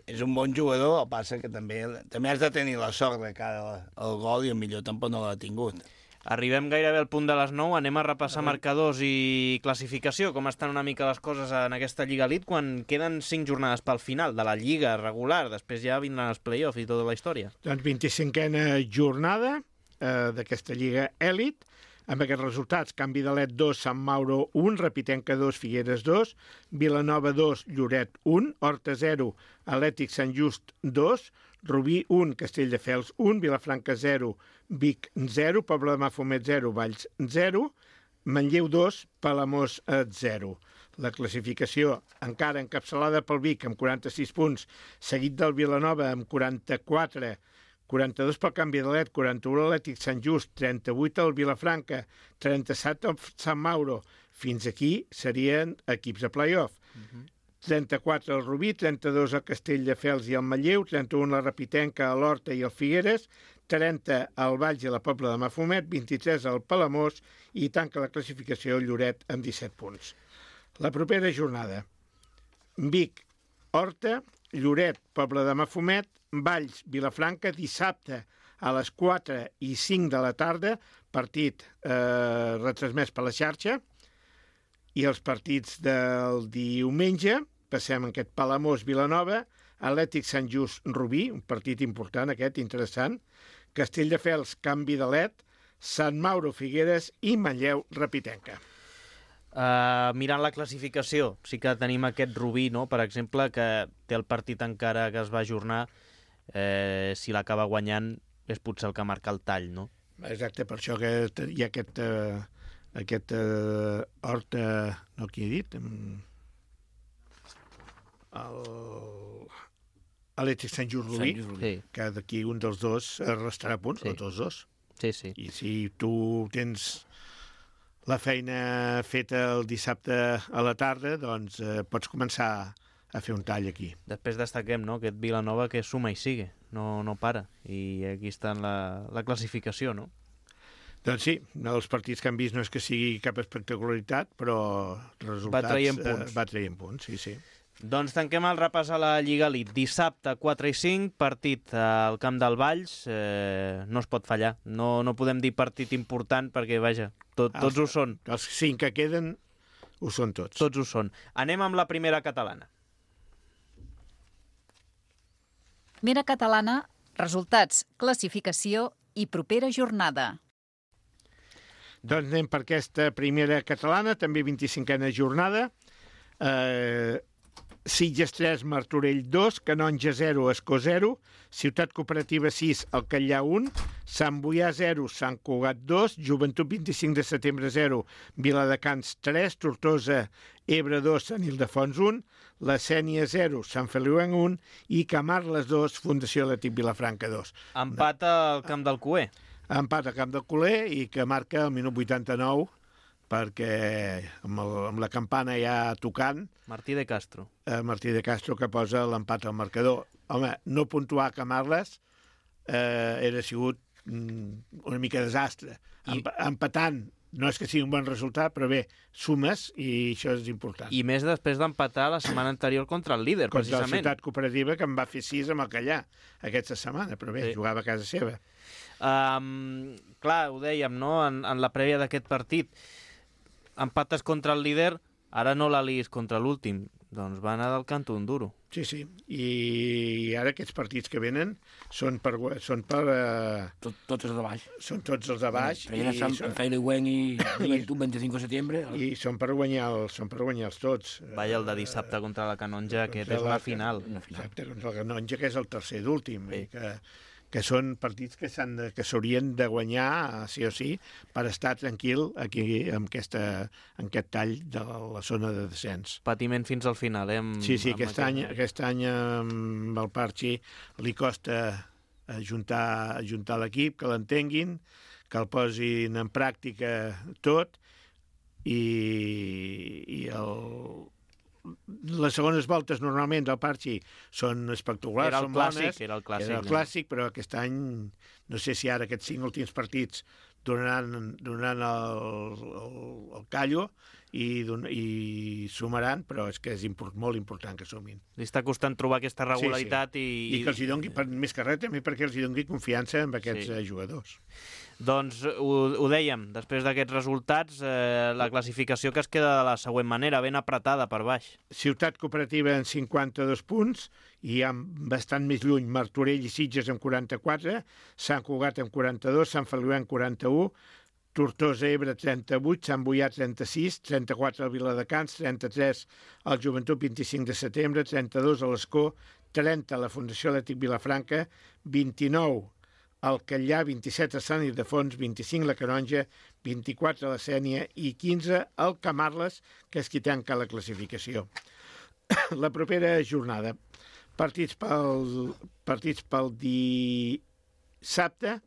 és un bon jugador, el passa que també has de tenir la sort de cara al gol, i el millor tampoc no l'ha tingut. Arribem gairebé al punt de les 9, anem a repassar marcadors i classificació, com estan una mica les coses en aquesta Lliga Elite, quan queden 5 jornades pel final de la Lliga regular, després ja vindran els play-offs i tota la història. Doncs 25a jornada d'aquesta Lliga Elite, amb aquests resultats: Can Vidalet 2, Sant Mauro 1, Repitenca 2, Figueres 2, Vilanova 2, Lloret 1, Horta 0, Atlètic Sant Just 2, Rubí 1, Castelldefels 1, Vilafranca 0, Vic 0, Pobla de Mafumet 0, Valls 0, Manlleu 2, Palamós 0. La classificació encara encapçalada pel Vic amb 46 punts, seguit del Vilanova amb 44, 42 pel Canvi d'Alet, 41 l'Atlètic Sant Just, 38 el Vilafranca, 37 el Sant Mauro. Fins aquí serien equips de play-off. 34 el Rubí, 32 el Castelldefels i el Manlleu, 31 la Rapitenca, l'Horta i el Figueres, 30 el Valls i la Pobla de Mafumet, 23 el Palamós i tanca la classificació el Lloret amb 17 punts. La propera jornada: Vic, Horta, Lloret, Pobla de Mafumet, Valls, Vilafranca, dissabte a les 4 i 5 de la tarda, partit retransmès per la xarxa, i els partits del diumenge, passem en aquest Palamós-Vilanova, Atlètic Sant Just Rubí, un partit important aquest, interessant, Castelldefels, Canvi d'Alet, Sant Mauro Figueres i Manlleu Rapitenca. Mirant la classificació, sí que tenim aquest Rubí, no? Per exemple, que té el partit encara que es va ajornar, si l'acaba guanyant és potser el que marca el tall, no? Exacte, per això que hi ha aquest Horta, no, qui he dit? Atlètic Sant Just Rubí, que d'aquí un dels dos restarà punts, o tots dos. Sí, sí. I si tu tens la feina feta el dissabte a la tarda, doncs pots començar a fer un tall aquí. Després destaquem, no?, aquest Vilanova que suma i sigue, no para. I aquí està en la classificació, no? Doncs sí, els partits que han vist no és que sigui cap espectacularitat, però resultats... Va traient punts, sí. Doncs tanquem el repàs a la Lliga Elite. Dissabte, 4 i 5, partit al Camp del Valls. No es pot fallar. No podem dir partit important perquè, vaja, tots ho són. Els 5 que queden ho són tots. Tots ho són. Anem amb la primera catalana. Primera catalana, resultats, classificació i propera jornada. Doncs anem per aquesta primera catalana, també 25a jornada. Sitges 3, Martorell 2, Canonja 0, Escó 0, Ciutat Cooperativa 6, Alcallà 1, Sant Boià 0, Sant Cugat 2, Joventut 25 de setembre 0, Viladecans 3, Tortosa, Ebre 2, Sant Ildefons 1, La Sénia 0, Sant Feliuenc 1 i Camarles 2, Fundació Atlètic Vilafranca 2. Empat al Camp del Cué. Empat al Camp del Cué i que marca el minut 89, perquè amb la campana ja tocant... Martí de Castro. Martí de Castro, que posa l'empat al marcador. Home, no puntuar a Camarles era sigut una mica desastre. Empatant no és que sigui un bon resultat, però bé, sumes i això és important. I més després d'empatar la setmana anterior contra el líder, precisament. Contra la Ciutat Cooperativa, que en va fer 6 amb el Callà aquesta setmana, però bé, jugava a casa seva. Clar, ho dèiem, no?, en la prèvia d'aquest partit. Empates contra el líder, ara no l'aliis contra l'últim. Doncs va anar del canto un duro. Sí. I ara aquests partits que venen són per... Tots els de baix. Són tots els de baix. En Feliuenc i Joventut 25 de setembre. I són per guanyar-los tots. Vaya, el de dissabte contra la Canonja, aquest és la final. Exacte, contra la Canonja, que és el tercer d'últim. Que són partits que s'haurien de guanyar, sí o sí, per estar tranquil aquí en aquest tall de la zona de descens. Patiment fins al final, Sí, aquest any amb el Parchi li costa ajuntar l'equip, que l'entenguin, que el posin en pràctica tot, i les segones voltes normalment del Parchi són espectaculars, són bones. Era el clàssic, però aquest any, no sé si ara aquests 5 últims partits donaran el callo i sumaran, però és que és molt important que sumin. Li està costant trobar aquesta regularitat. Sí. I que els hi doni, més que res, també perquè els hi doni confiança en aquests jugadors. Doncs ho dèiem, després d'aquests resultats, la classificació que es queda de la següent manera, ben apretada per baix. Ciutat Cooperativa en 52 punts, i bastant més lluny Martorell i Sitges amb 44, Sant Cugat amb 42, Sant Feliuenc 41, Tortosa, Ebre 38, Sant Boià 36, 34 al Viladecans, 33 al Joventut 25 de setembre, 32 a l'Escó, 30 a la Fundació Atlètic Vilafranca, 29 al Callà, 27 a Sant Ildefons, 25 a la Canonja, 24 a la Sénia i 15 al Camarles, que és qui tanca la classificació. La propera jornada, partits pel dissabte,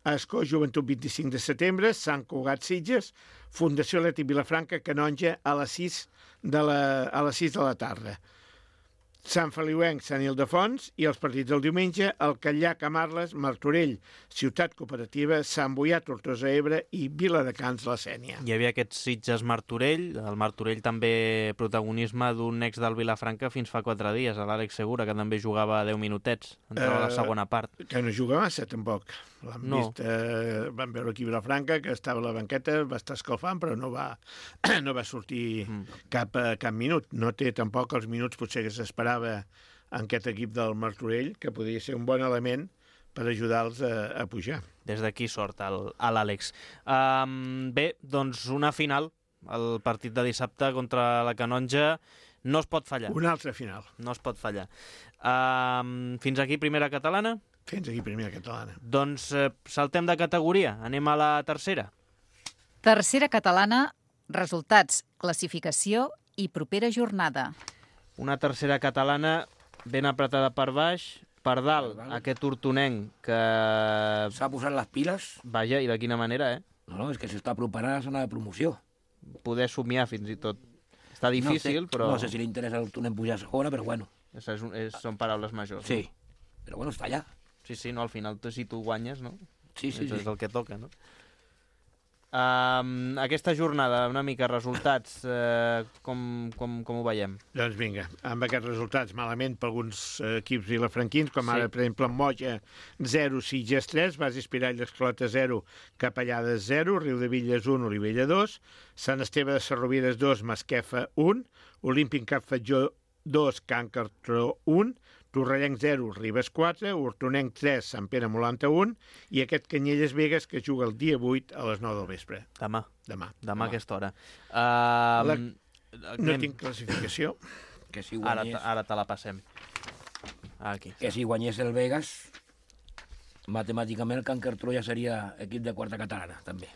Escó, Joventut 25 de setembre, Sant Cugat Sitges, Fundació Atlètic Vilafranca, Canonja, a les 6 de la tarda. Sant Feliuenc, Sant Ildefons, i els partits del diumenge, el Catllà, Camarles, Martorell, Ciutat Cooperativa, Sant Boià, Tortosa Ebre i Viladecans, la Sénia. Hi havia aquest Sitges-Martorell, el Martorell també protagonisme d'un ex del Vilafranca fins fa 4 dies, l'Àlex Segura, que també jugava 10 minutets, entrava a la segona part. Que no juga massa, tampoc. L'han vist, van veure aquí a Vilafranca, que estava a la banqueta, va estar escalfant, però no va sortir cap minut. No té tampoc els minuts potser que s'esperava en aquest equip del Martorell, que podria ser un bon element per ajudar-los a pujar. Des d'aquí sort a l'Àlex. Bé, doncs una final, el partit de dissabte contra la Canonja, no es pot fallar. Una altra final. No es pot fallar. Fins aquí primera catalana? Fins aquí primera catalana. Doncs saltem de categoria, anem a la tercera. Tercera catalana, resultats, classificació i propera jornada. Una tercera catalana ben apretada per baix, per dalt, aquest hortonenc que... S'ha posat les piles. Vaja, i de quina manera, No, és que s'està preparant a la zona de promoció. Poder somiar fins i tot. Està difícil, però... No sé si li interessa al hortonenc pujar a segona, però bueno. Són paraules majors. Sí, però bueno, està allà. Sí, no, al final si tu guanyes, no? Sí. És el que toca, no? Aquesta jornada, una mica, resultats, com ho veiem? Doncs vinga, amb aquests resultats, malament per alguns equips vilafranquins, com ara, per exemple, Moja 0, Sitges 3, Bas Espirall d'Esclota 0, Capellades 0, Riudevilles 1, Olivella 2, Sant Esteve de Sarrovires 2, Masquefa 1, Olímpic Cap Fatjó 2, Can Cartró 1, Torrellenc 0, Ribes 4, Hortonenc 3, Sant Pere Molanta 1 i aquest Canyelles Vegas que juga el dia 8 a les 9 del vespre. Demà a aquesta hora. No tinc classificació. Que si guanyés... Ara te la passem. Aquí. Que si guanyés el Vegas, matemàticament el Can Cartró ja seria equip de quarta catalana, també.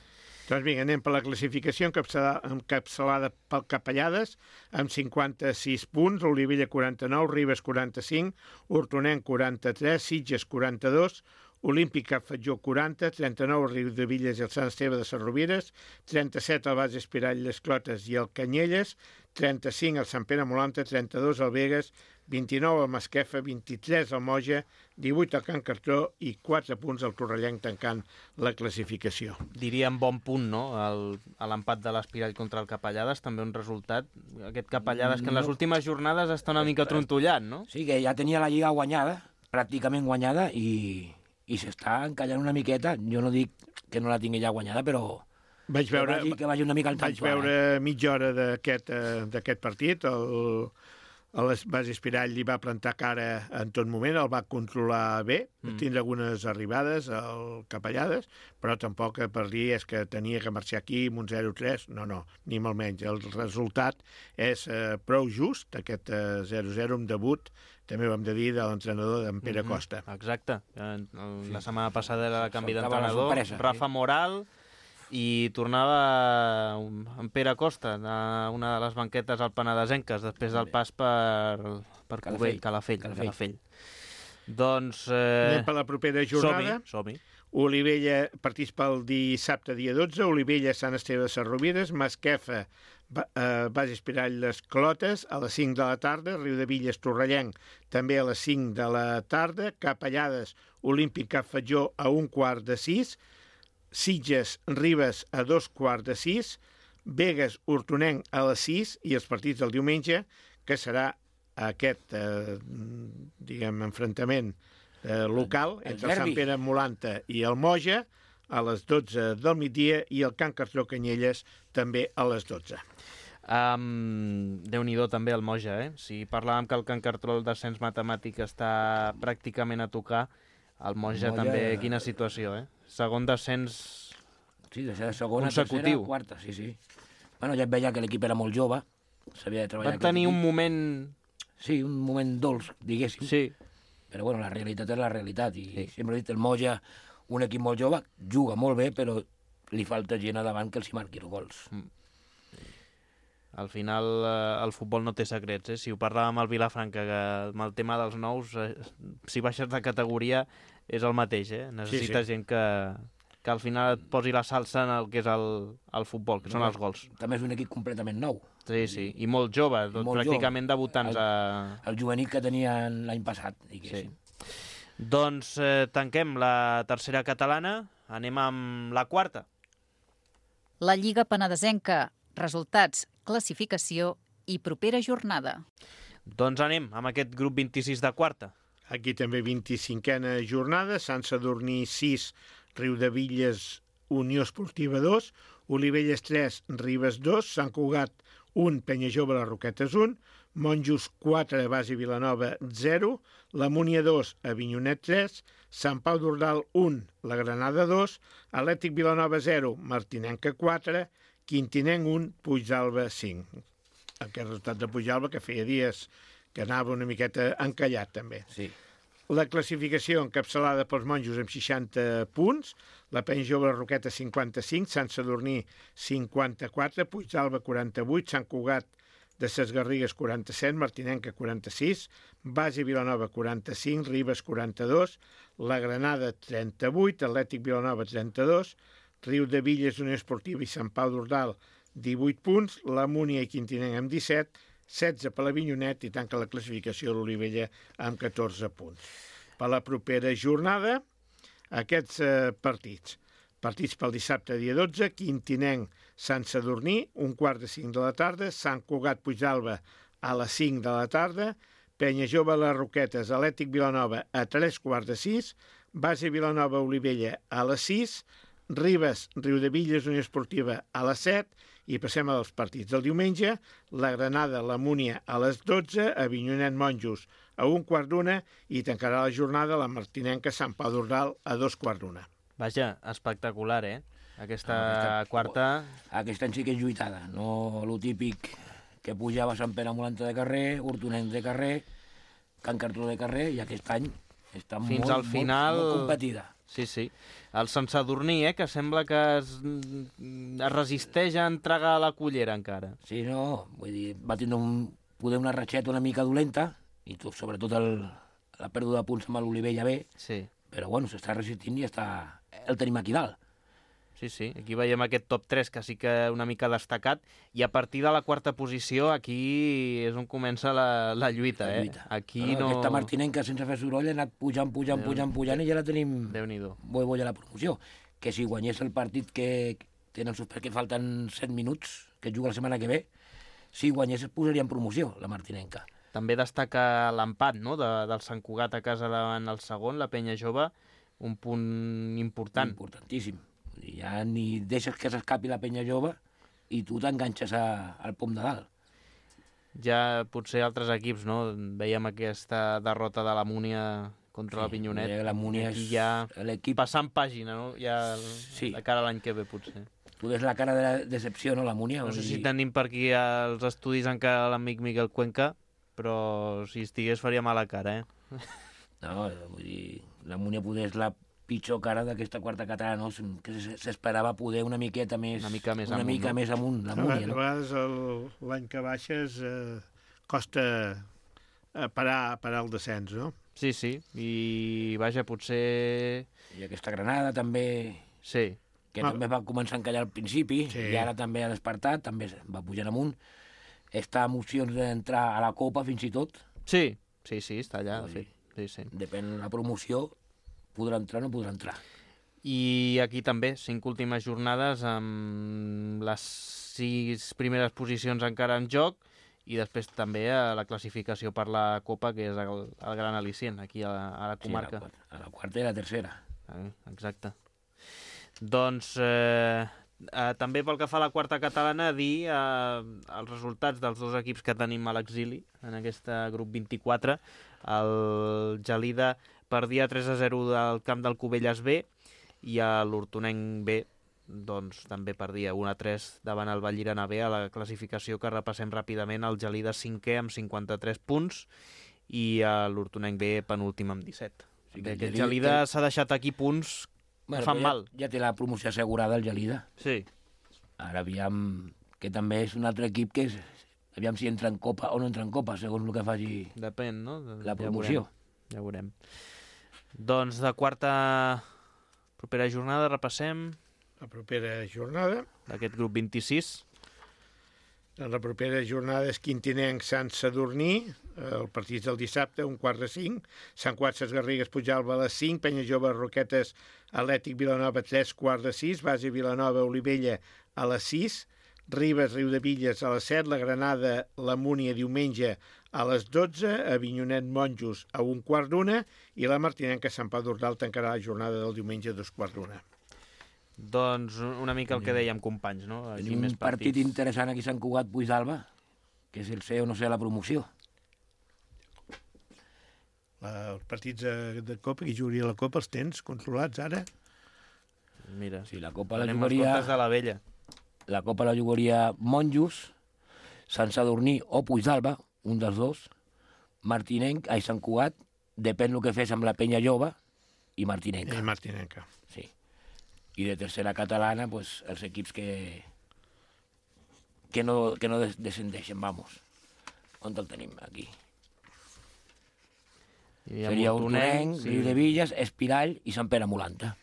Doncs vinga, anem per la classificació encapçalada pel Capellades, amb 56 punts, Olivella 49, Ribes 45, Hortonenc 43, Sitges 42, Olímpic Cap Fatjó 40, 39 Riudevilles i el Sant Esteve de Sarrovires, 37 el Bas Espirall d'Esclotes i el Canyelles, 35 el Sant Pere Molanta, 32 el Vegas, 29 el Masquefa, 23 el Moja, 18 el Can Cartró i 4 punts el Torrellenc tancant la classificació. Diríem bon punt, no?, a l'empat de l'Espirall contra el Capellades, també un resultat. Aquest Capellades que en les últimes jornades està una mica trontollat, no? Sí, que ja tenia la Lliga guanyada, pràcticament guanyada, i s'està encallant una miqueta. Jo no dic que no la tingui ja guanyada, però... Vaig veure una mica al vaig veure mitja hora d'aquest partit. El Bas Espirall li va plantar cara en tot moment, el va controlar bé, tindre algunes arribades al Capellades, però tampoc per dir és que tenia que marxar aquí amb un 0-3, no, ni molt menys. El resultat és prou just, aquest 0-0 amb debut, també ho hem de dir, de l'entrenador d'en Pere Costa. Exacte. La setmana passada era el canvi d'entrenador, Rafa Moral, i tornava en Pere Costa a una de les banquetes al Penedesenques després del pas per Calafell. Doncs... Anem per la propera jornada. Som-hi. Olivella, partits pel dissabte dia 12, Olivella, Sant Esteve de Sarrovires, Masquefa, Bas Espirall d'Esclotes a les 5 de la tarda, Riudevilles, Torrellenc també a les 5 de la tarda, Capellades, Olímpic Cap Fatjó a 5:15, Sitges, Ribes a 5:15, Vegas, Hortonenc a les 6 i els partits del diumenge, que serà aquest, enfrontament local entre el Sant Pere Molanta i el Moja a les 12 del migdia i el Can Cartró Canyelles també a les 12. Déu-n'hi-do també el Moja, Si parlàvem que el Can Cartró, el descens matemàtic, està pràcticament a tocar, el Moja també, quina situació, Segon descens segona, consecutiu. Tercera, quarta, sí. Bueno, ja et veia que l'equip era molt jove, s'havia de treballar... Van tenir un moment... Sí, un moment dolç, diguéssim. Sí. Però bueno, la realitat és la realitat, i sempre he dit, el Moja, un equip molt jove, juga molt bé, però li falta gent a davant que els hi marqui els gols. Al final el futbol no té secrets, Si ho parlàvem al Vilafranca, que amb el tema dels nous, si baixes de categoria és el mateix, necessita gent que al final et posi la salsa en el que és el futbol, que són els gols. També és un equip completament nou. Sí, i molt jove, pràcticament debutants. El juvenil que tenien l'any passat, diguéssim. Doncs tanquem la tercera catalana, anem amb la quarta. La Lliga Penedesenca, resultats, classificació i propera jornada. Doncs anem amb aquest grup 26 de quarta. Aquí també 25a jornada, Sant Sadurní 6, Riudevilles, Unió Esportiva 2, Olivelles 3, Ribes 2, Sant Cugat 1, Penyajove, les Roquetes 1, Monjos 4, Basi Vilanova 0, la Múnia 2, Avinyonet 3, Sant Pau d'Ordal 1, la Granada 2, Atlètic Vilanova 0, Martinenca 4, Quintinenc 1, Puigdàlber 5. Aquest resultat de Puigdàlber que feia dies que anava una miqueta encallat també. Sí. La classificació encapçalada pels monjos amb 60 punts, la Penyajove, les Roquetes 55, Sant Sadurní 54, Puigdàlber 48, Sant Cugat de Ses Garrigues 47, Martinenca 46, Basi Vilanova 45, Ribes 42, la Granada 38, Atlètic Vilanova 32, Riudevilles, Unió Esportiva i Sant Pau d'Ordal 18 punts, la Múnia i Quintinenc amb 17, 16 per l'Avinyonet i tanca la classificació de l'Olivella amb 14 punts. Per la propera jornada, aquests partits. Partits pel dissabte, dia 12, Quintinenc, Sant Sadurní, 1:45 de la tarda, Sant Cugat, Puigdàlber, a les 5 de la tarda, Penyajove, les Roquetes, Atlètic Vilanova, a 3:45, Basi Vilanova, Olivella, a les 6, Ribes, Riudevilles, Unió Esportiva, a les 7, i passem als partits del diumenge, la Granada, la Múnia a les 12, Avinyonet, Monjos a 1:15 i tancarà la jornada la Martinenca, Sant Pau d'Ordal a 2:15. Vaja, espectacular, Aquesta quarta... Aquest any sí que és lluitada, no lo típic que pujava Sant Pere Molanta de carrer, Hortonenc de carrer, Can Cartró de carrer, i aquest any està fins al final... molt competida. Sí. El Sant Sadurní, que sembla que es resisteix a entregar la cullera encara. Sí, no, vull dir, va tindre poder una ratxeta una mica dolenta, i sobretot la pèrdua de punts amb l'Olivella B, sí. Però bueno, s'està resistint i el tenim aquí dalt. Sí, aquí veiem aquest top 3 que sí que una mica destacat, i a partir de la quarta posició aquí és on comença la lluita. Aquí no... Aquesta Martinenca sense fer soroll ha anat pujant i ja la tenim boia a la promoció. Que si guanyés el partit que tenen que falten 7 minuts, que juga la setmana que ve, si guanyés es posaria en promoció la Martinenca. També destaca l'empat, no?, del Sant Cugat a casa davant el segon, la Penyajove, un punt important. Importantíssim. Ja ni deixes que s'escapi la Penyajove i tu t'enganxes al pom de dalt. Ja potser altres equips, no? Veiem aquesta derrota de la Múnia contra la Pinyonet. La Múnia és l'equip passant pàgina, no? Ja de cara a l'any que ve, potser. Tu des la cara de la decepció, no, la Múnia? No sé si tenim per aquí als estudis encara l'amic Miquel Cuenca, però si estigués faria mala cara, No, vull dir, la Múnia poder és la pitjor cara d'aquesta quarta catalana, no? Que s'esperava poder una miqueta més... Una mica més amunt, la Múnia, no? A vegades l'any que baixes costa parar el descens, no? Sí, i vaja, potser... I aquesta Granada també... Sí. Que també va començar a encallar al principi, i ara també ha despertat, també va pujant amunt. Està amb opcions d'entrar a la Copa, fins i tot. Sí, està allà, de fet. Sí. Depèn de la promoció, podrà entrar o no podrà entrar. I aquí també, 5 últimes jornades amb les 6 primeres posicions encara en joc, i després també la classificació per la Copa, que és el gran al·licient aquí a la comarca. Sí, a la quarta i la tercera. Exacte. Doncs també pel que fa a la quarta catalana, dir els resultats dels dos equips que tenim a l'exili en aquest grup 24. El Gelida perdia 3-0 del camp del Cubelles B, i l'Hortonenc B doncs també perdia 1-3 davant el Vallirana B. A la classificació, que repassem ràpidament, el Gelida 5è amb 53 punts i l'Hortonenc B penúltim amb 17. Aquest Gelida s'ha deixat aquí punts que fan mal. Ja té la promoció assegurada el Gelida. Sí. Ara aviam, que també és un altre equip que aviam si entra en Copa o no entra en Copa, segons el que faci depèn, no? La promoció. Ja veurem. Doncs de propera jornada repassem... La propera jornada... D'aquest grup 26. La propera jornada és Quintinenc Sant Sadurní, el partit del dissabte, 4:45, Sant Cugat Ses Garrigues Pujalba a les 5, Penya Jove Roquetes Atlètic Vilanova 3:15, Base Vilanova Olivella a les 6, Ribes Riudevilles a les 7, la Granada la Múnia diumenge a les 12, Avinyonet Monjos a 1:15 i la Martinenca Sant Pau d'Ordal tancarà la jornada del diumenge a 2:15. Doncs una mica el que dèiem, companys, no? Tenim un partit interessant aquí a Sant Cugat Puigdàlber, que és el ser o no ser la promoció. Els partits de Copa, qui jugaria la Copa, els tens controlats ara? Mira, sí, la Copa la tenim jugaria... els comptes de la vella. La Copa la jugaria Monjos, Sant Sadurní o Puigdàlber, un dels dos, Martinenc, Sant Cugat, depèn el que fes amb la Penya Jove, i Martinenca. I Martinenca. Sí. I de tercera catalana, pues, els equips que no descendeixen, vamos. On el tenim, aquí? Seria Hortonenc, sí. Riudevilles, Espirall i Sant Pere Molanta.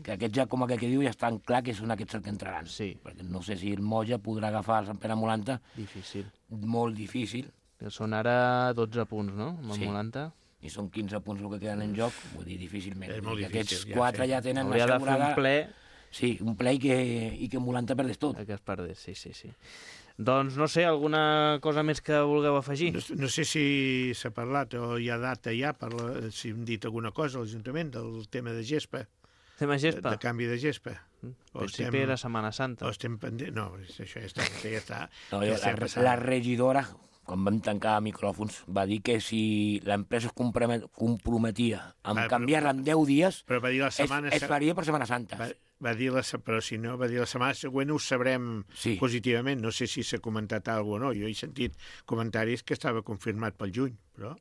Que aquests ja, com aquell que diu, ja estan clar que són aquests els que entraran. Sí. Perquè no sé si el Moja podrà agafar el Sant Pere Molanta. Difícil. Molt difícil. Que són ara 12 punts, no? Amb el Molanta. I són 15 punts el que queden en joc, vull dir, difícilment. És molt difícil. Aquests 4 ja tenen assegurada... Hauria de fer un ple... Sí, un ple i que Molanta perdés tot. Que es perdés, sí. Doncs, no sé, alguna cosa més que vulgueu afegir? No sé si s'ha parlat o hi ha data ja, si hem dit alguna cosa a l'Ajuntament del tema de gespa. Tema gespa? De canvi de gespa. Principi era Setmana Santa. O estem pendent... No, això ja està. No, la regidora, quan vam tancar micròfons, va dir que si l'empresa es comprometia a canviar-la en 10 dies, però va dir la setmana... es faria per Setmana Santa. Però si no, va dir la setmana següent ho sabrem positivament. No sé si s'ha comentat alguna cosa o no. Jo he sentit comentaris que estava confirmat pel juny, però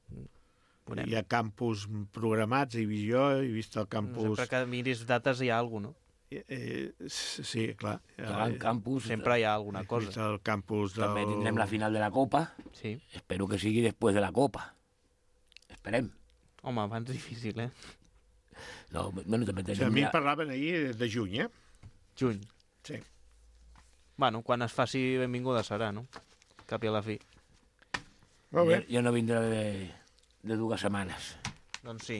hi ha campus programats, he vist el campus... Sempre que miris dates hi ha alguna cosa, no? Sí, clar. El campus... Sempre hi ha alguna cosa. El campus del... També tindrem la final de la Copa. Sí. Espero que sigui després de la Copa. Esperem. Home, abans difícil, No, bueno, també tenim... A mi parlaven ahir de juny, Juny. Sí. Bueno, quan es faci benvinguda serà, no? Cap i a la fi. Molt bé. Jo no vindré de 2 setmanes. Doncs sí.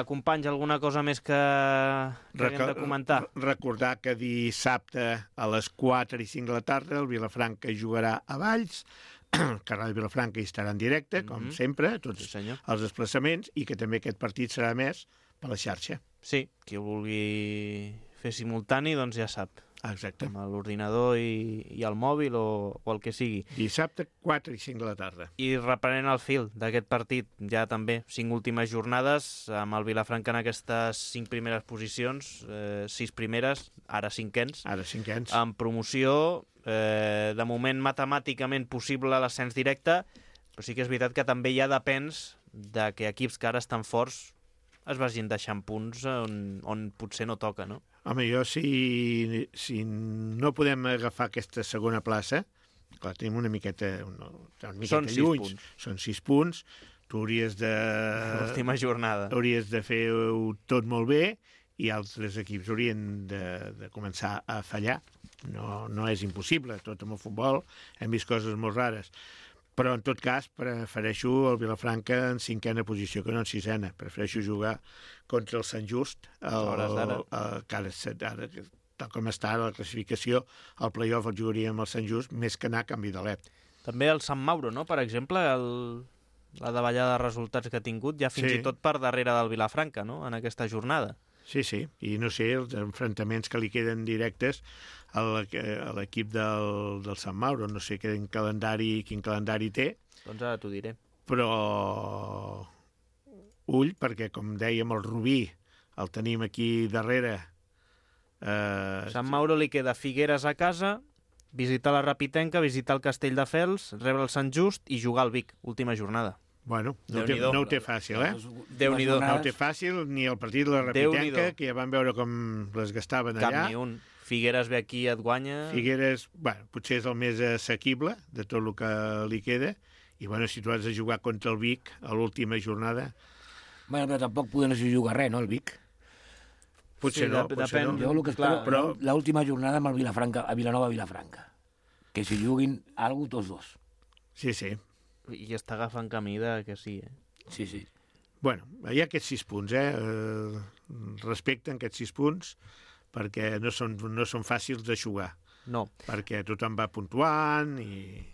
Companys, alguna cosa més que haguem de comentar? Recordar que dissabte a les 4 i 5 de la tarda el Vilafranca jugarà a Valls, el Carral Vilafranca hi estarà en directe, com sempre, tots els desplaçaments, i que també aquest partit serà més per la xarxa. Sí, qui ho vulgui fer simultani, doncs ja sap. Exacte. Amb l'ordinador i el mòbil o el que sigui. Dissabte, 4 i 5 de la tarda. I reprenent el fil d'aquest partit, ja també 5 últimes jornades, amb el Vilafranca en aquestes 5 primeres posicions, 6 primeres, ara cinquens. Ara cinquens. En promoció, de moment matemàticament possible l'ascens directe, però sí que és veritat que també ja depens de que equips que ara estan forts es vagin deixant punts on potser no toca, no? Home, jo si no podem agafar aquesta segona plaça, clar, tenim una miqueta lluny, són 6 punts, tu hauries de... L'última jornada. Hauries de fer-ho tot molt bé i altres equips haurien de començar a fallar. No és impossible, tot amb el futbol hem vist coses molt rares. Però, en tot cas, prefereixo el Vilafranca en 5a posició que no en 6a. Prefereixo jugar contra el Sant Just, que ara, tal com està la classificació, el play-off el jugaria amb el Sant Just, més que anar a canvi de l'EP. També el Sant Mauro, no?, per exemple, la davallada de resultats que ha tingut, ja fins i tot per darrere del Vilafranca, no?, en aquesta jornada. Sí, i no sé, els enfrontaments que li queden directes a l'equip del Sant Mauro, no sé quin calendari té. Doncs ara t'ho diré. Però ull, perquè com dèiem, el Rubí el tenim aquí darrere. Sant Mauro li queda Figueres a casa, visitar la Rapitenca, visitar el Castelldefels, rebre el Sant Just i jugar al Vic, última jornada. Bueno, no ho té fàcil, Déu-n'hi-do. No ho té fàcil, ni el partit de la Rapitenca, que ja van veure com les gastaven allà. Cap ni un. Figueres ve aquí i et guanya... Figueres, potser és el més assequible de tot el que li queda, i si tu has de jugar contra el Vic a l'última jornada... Bueno, però tampoc podem jugar res, no, el Vic? Potser no. Jo el que espero, l'última jornada amb el Vilafranca, a Vilanova-Vilafranca. Que si juguin alguna tots dos. Sí, sí. I està agafant camí que sí, Sí, sí. Bueno, hi ha aquests 6 punts, respecten aquests 6 punts, perquè no són fàcils de jugar. No. Perquè tothom va puntuant i...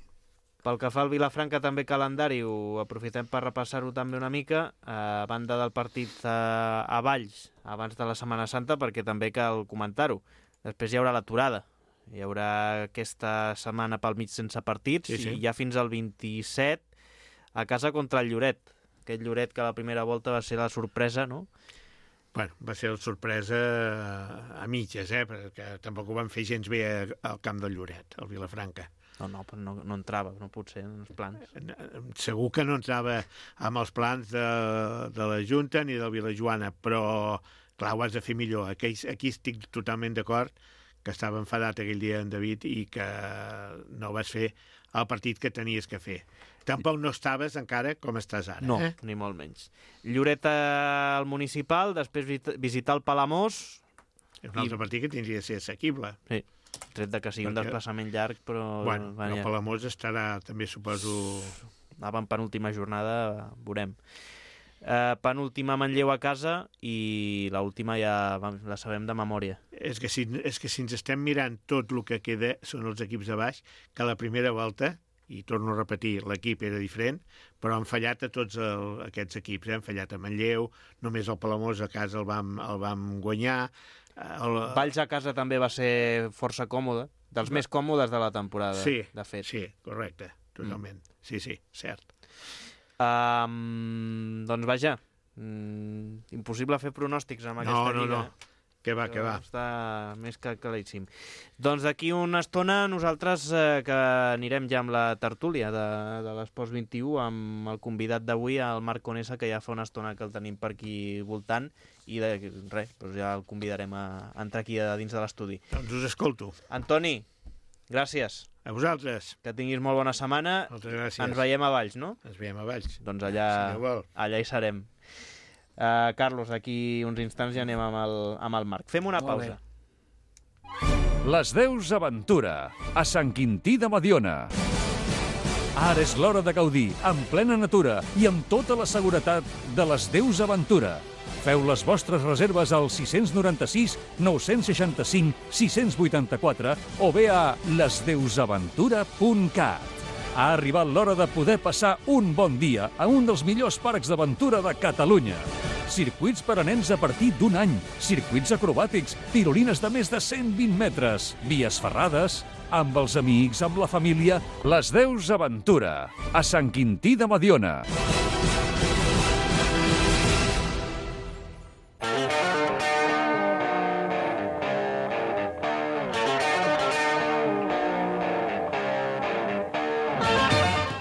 Pel que fa al Vilafranca, també calendari, ho aprofitem per repassar-ho també una mica, a banda del partit a Valls, abans de la Setmana Santa, perquè també cal comentar-ho. Després hi haurà l'aturada. Hi haurà aquesta setmana pel mig sense partits, i ja fins al 27 a casa contra el Lloret. Aquest Lloret que a la primera volta va ser la sorpresa, no? Bueno, va ser la sorpresa a mitges, perquè tampoc ho van fer gens bé al camp del Lloret, al Vilafranca. No, però no entrava, no pot ser en els plans. Segur que no entrava amb els plans de la Junta ni del Vilajoana, però clar, ho has de fer millor. Aquí estic totalment d'acord que estava enfadat aquell dia en David i que no vas fer el partit que tenies que fer. Tampoc no estaves encara com estàs ara. No, ni molt menys. Lloret al Municipal, després visitar el Palamós. És un altre partit que tindria de ser assequible. Sí, tret de que sigui un desplaçament llarg, però... Bueno, el Palamós estarà, també suposo... Anava en penúltima jornada, veurem. Penúltima Manlleu a casa i l'última ja la sabem de memòria. És que si ens estem mirant tot el que queda són els equips de baix, que a la primera volta, i torno a repetir, l'equip era diferent, però han fallat a tots aquests equips. Han fallat a Manlleu, només el Palamós a casa el vam guanyar. Valls a casa també va ser força còmode, dels més còmodes de la temporada, de fet. Sí, correcte, totalment. Sí, cert. Doncs vaja, impossible fer pronòstics amb aquesta lliga. No. Que va. Està més que claríssim. Doncs d'aquí una estona nosaltres que anirem ja amb la tertúlia de l'Esports 21 amb el convidat d'avui, el Marc Conesa, que ja fa una estona que el tenim per aquí voltant i res, doncs ja el convidarem a entrar aquí a dins de l'estudi. Doncs us escolto. Antoni, gràcies. A vosaltres. Que tinguis molt bona setmana. Moltes gràcies. Ens veiem a Valls, no? Ens veiem a Valls. Doncs allà hi serem. Carlos, d'aquí uns instants ja anem amb el Marc. Fem una pausa. Les Deus Aventura, a Sant Quintí de Mediona. Ara és l'hora de gaudir, en plena natura i amb tota la seguretat de les Deus Aventura. Feu les vostres reserves al 696 965 684 o bé a lesdeusaventura.cat. Ha arribat l'hora de poder passar un bon dia a un dels millors parcs d'aventura de Catalunya. Circuits per a nens a partir d'1 any, circuits acrobàtics, tirolines de més de 120 metres, vies ferrades, amb els amics, amb la família. Les Deus Aventura, a Sant Quintí de Mediona.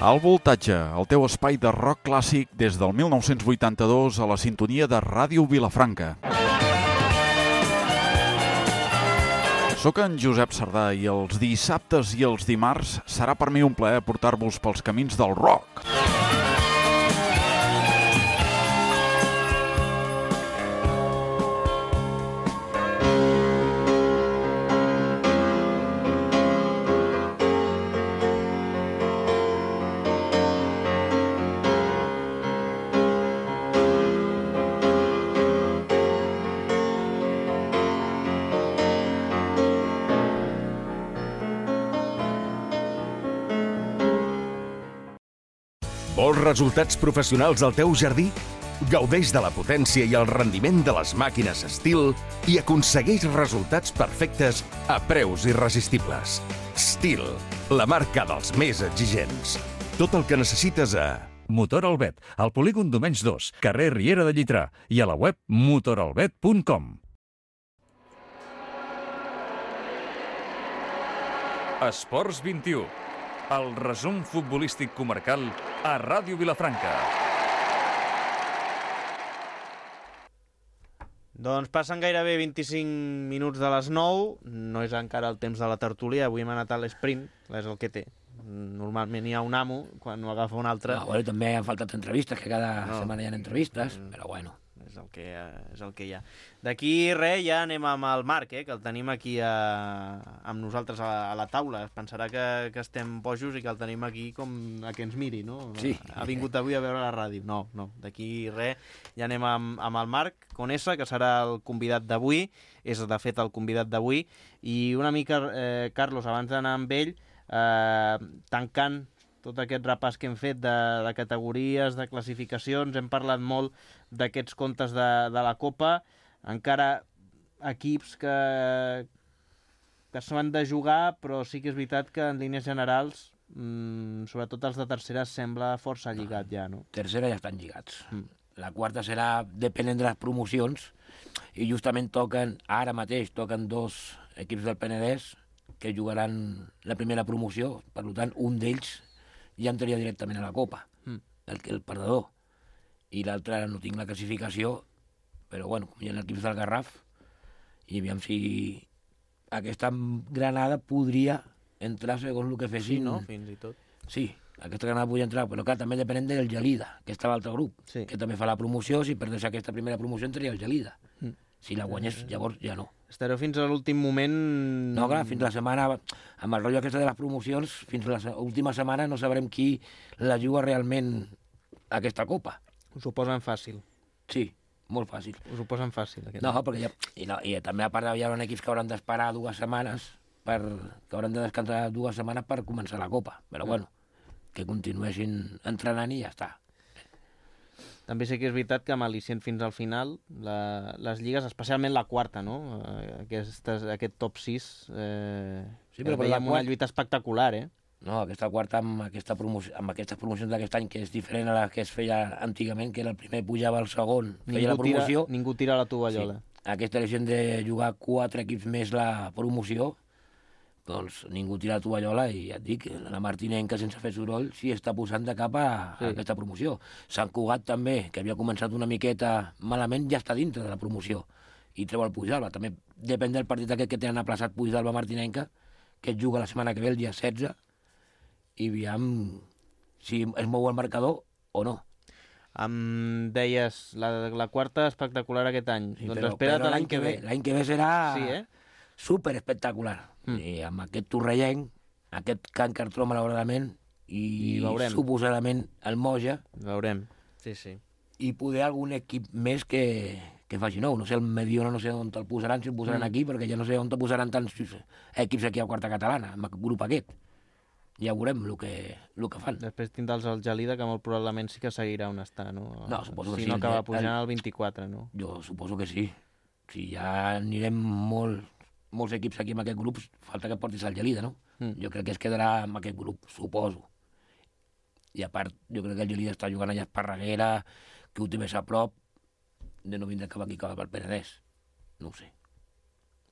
Al Voltatge, el teu espai de rock clàssic des del 1982 a la sintonia de Ràdio Vilafranca. Soc en Josep Sardà i els dissabtes i els dimarts serà per mi un plaer portar-vos pels camins del rock. Vols resultats professionals al teu jardí? Gaudeix de la potència i el rendiment de les màquines Stihl i aconsegueix resultats perfectes a preus irresistibles. Stihl, la marca dels més exigents. Tot el que necessites a... Motor Albet, al polígon Domenys 2, carrer Riera de Llitrà i a la web motoralbet.com. Esports 21. El resum futbolístic comarcal a Ràdio Vilafranca. Doncs passen gairebé 25 minuts de les 9, no és encara el temps de la tertúlia, avui hem anat a l'esprint, és el que té. normalment hi ha un amo, quan ho agafa un altre... No, bueno, també han faltat entrevistes, que cada setmana hi ha entrevistes, però bueno. És el que hi ha. D'aquí res, ja anem amb el Marc, que el tenim aquí amb nosaltres a la taula. Es pensarà que estem bojos i que el tenim aquí com a que ens miri, no? Sí. Ha vingut avui a veure la ràdio. No, d'aquí res, ja anem amb el Marc Conesa, que serà el convidat d'avui, és de fet el convidat d'avui, i una mica, Carlos, abans d'anar amb ell, tancant tot aquest repàs que hem fet de categories, de classificacions, hem parlat molt d'aquests comptes de la Copa, encara equips que s'han de jugar, però sí que és veritat que en línies generals, sobretot els de tercera, sembla força lligat ja, no? Tercera ja estan lligats. La quarta serà depenent de les promocions, i justament ara mateix toquen 2 equips del Penedès que jugaran la primera promoció, per tant, un d'ells ja entraria directament a la Copa, el perdedor. I l'altre no tinc la classificació, però bueno, hi ha equips del Garraf, i aviam si aquesta Granada podria entrar segons el que fessin. Sí, no? Fins i tot. Sí, aquesta Granada podria entrar, però clar, també depenent del Gelida, que està a l'altre grup, que també fa la promoció. Si perdés aquesta primera promoció entraria el Gelida. Si la guanyés, llavors ja no. Estareu fins a l'últim moment... No, clar, fins la setmana, amb el rotllo aquesta de les promocions, fins a l'última setmana no sabrem qui la juga realment aquesta Copa. Us ho posen fàcil. Sí, molt fàcil. Us ho posen fàcil. No, perquè i també a part hi haurà equips que hauran d'esperar 2 setmanes, que hauran de descansar 2 setmanes per començar la Copa. Però bueno, que continuessin entrenant i ja està. També sé que és veritat que amb al·licient fins al final, les lligues, especialment la quarta, no? Aquest top 6, veiem una lluita espectacular, No, aquesta quarta amb aquestes promocions d'aquest any, que és diferent a la que es feia antigament, que era el primer pujava al segon, feia la promoció. Ningú tira la tovallola. Sí. Aquesta elecció de jugar 4 equips més la promoció, doncs ningú tira la tovallola, i ja et dic, la Martinenca, sense fer soroll, s'hi està posant de cap a aquesta promoció. Sant Cugat també, que havia començat una miqueta malament, ja està dintre de la promoció i treu el Puigdàlber. També depèn del partit aquest que tenen aplaçat Puigdàlber-Martinenca, que es juga la setmana que ve, el dia 16, i aviam si es mou el marcador o no. Em deies, la quarta espectacular aquest any. Sí, doncs espera't l'any que ve. L'any que ve serà... Sí, super espectacular. I amb aquest torrellenc, aquest Can Cartró, malauradament, i suposadament el Moja. Veurem, sí. I poder algun equip més que faci nou. No sé, el Mediona no sé on el posaran, si el posaran aquí, perquè ja no sé on el posaran tants equips aquí a quarta catalana, amb el grup aquest. Ja veurem el que fan. Després tindràs el Gelida, que molt probablement sí que seguirà on està, no? No, suposo que sí. Si no acaba pujant al 24, no? Jo suposo que sí. Si ja anirem molts equips aquí amb aquest grup, falta que portis el Gelida, no? Jo crec que es quedarà amb aquest grup, suposo. I a part, jo crec que el Gelida està jugant allà a Esparreguera, que ho té més a prop, de no vindre cap aquí, cap al Penedès. No ho sé.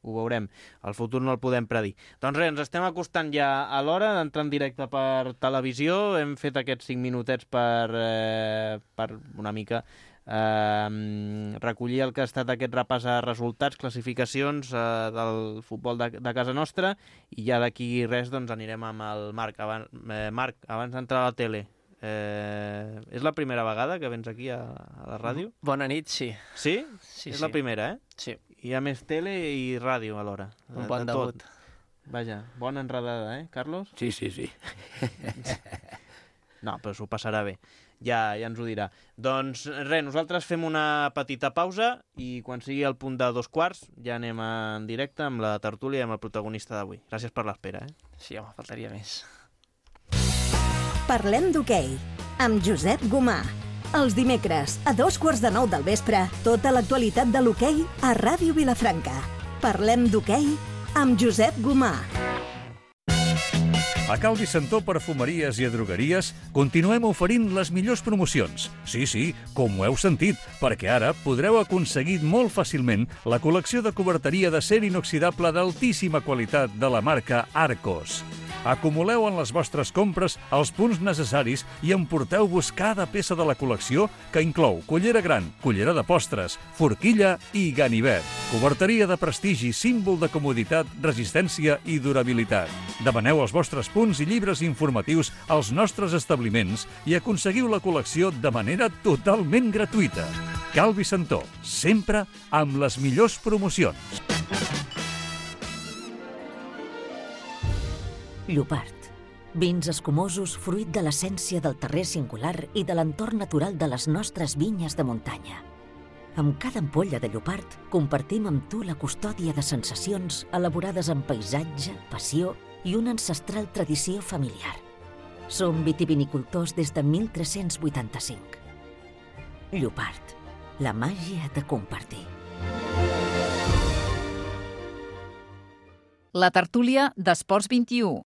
Ho veurem. El futur no el podem predir. Doncs res, ens estem acostant ja a l'hora d'entrar en directe per televisió. Hem fet aquests 5 minutets per una mica recollir el que ha estat aquest repàs a resultats, classificacions del futbol de casa nostra, i ja d'aquí res doncs anirem amb el Marc. Marc, abans d'entrar a la tele, és la primera vegada que vens aquí a la ràdio? Bona nit, sí. Sí? És la primera, Sí. Hi ha més tele i ràdio alhora. Un bon debut. Vaja, bona enredada, Carlos? Sí. No, però s'ho passarà bé. Ja ens ho dirà. Doncs res, nosaltres fem una petita pausa i quan sigui el punt de 2:15 ja anem en directe amb la tertúlia i amb el protagonista d'avui. Gràcies per l'espera. Sí, home, faltaria més. Parlem d'hoquei amb Josep Gomà. Els dimecres, a 9:15 del vespre, tota l'actualitat de l'hoquei a Ràdio Vilafranca. Parlem d'hoquei amb Josep Gomà. A Cal Vicentó Perfumeries i Drogueries continuem oferint les millors promocions. Sí, com ho heu sentit, perquè ara podreu aconseguir molt fàcilment la col·lecció de coberteria d'acer inoxidable d'altíssima qualitat de la marca Arcos. Acumuleu en les vostres compres els punts necessaris i emporteu-vos cada peça de la col·lecció que inclou cullera gran, cullera de postres, forquilla i ganivet. Coberteria de prestigi, símbol de comoditat, resistència i durabilitat. Demaneu els vostres punts i llibres informatius als nostres establiments i aconseguiu la col·lecció de manera totalment gratuïta. Cal Vicentó, sempre amb les millors promocions. Llopart. Vins escumosos fruit de l'essència del terrer singular i de l'entorn natural de les nostres vinyes de muntanya. Amb cada ampolla de Llopart compartim amb tu la custòdia de sensacions elaborades amb paisatge, passió i una ancestral tradició familiar. Som vitivinicultors des de 1385. Llopart. La màgia de compartir. La tertúlia d'Esports 21.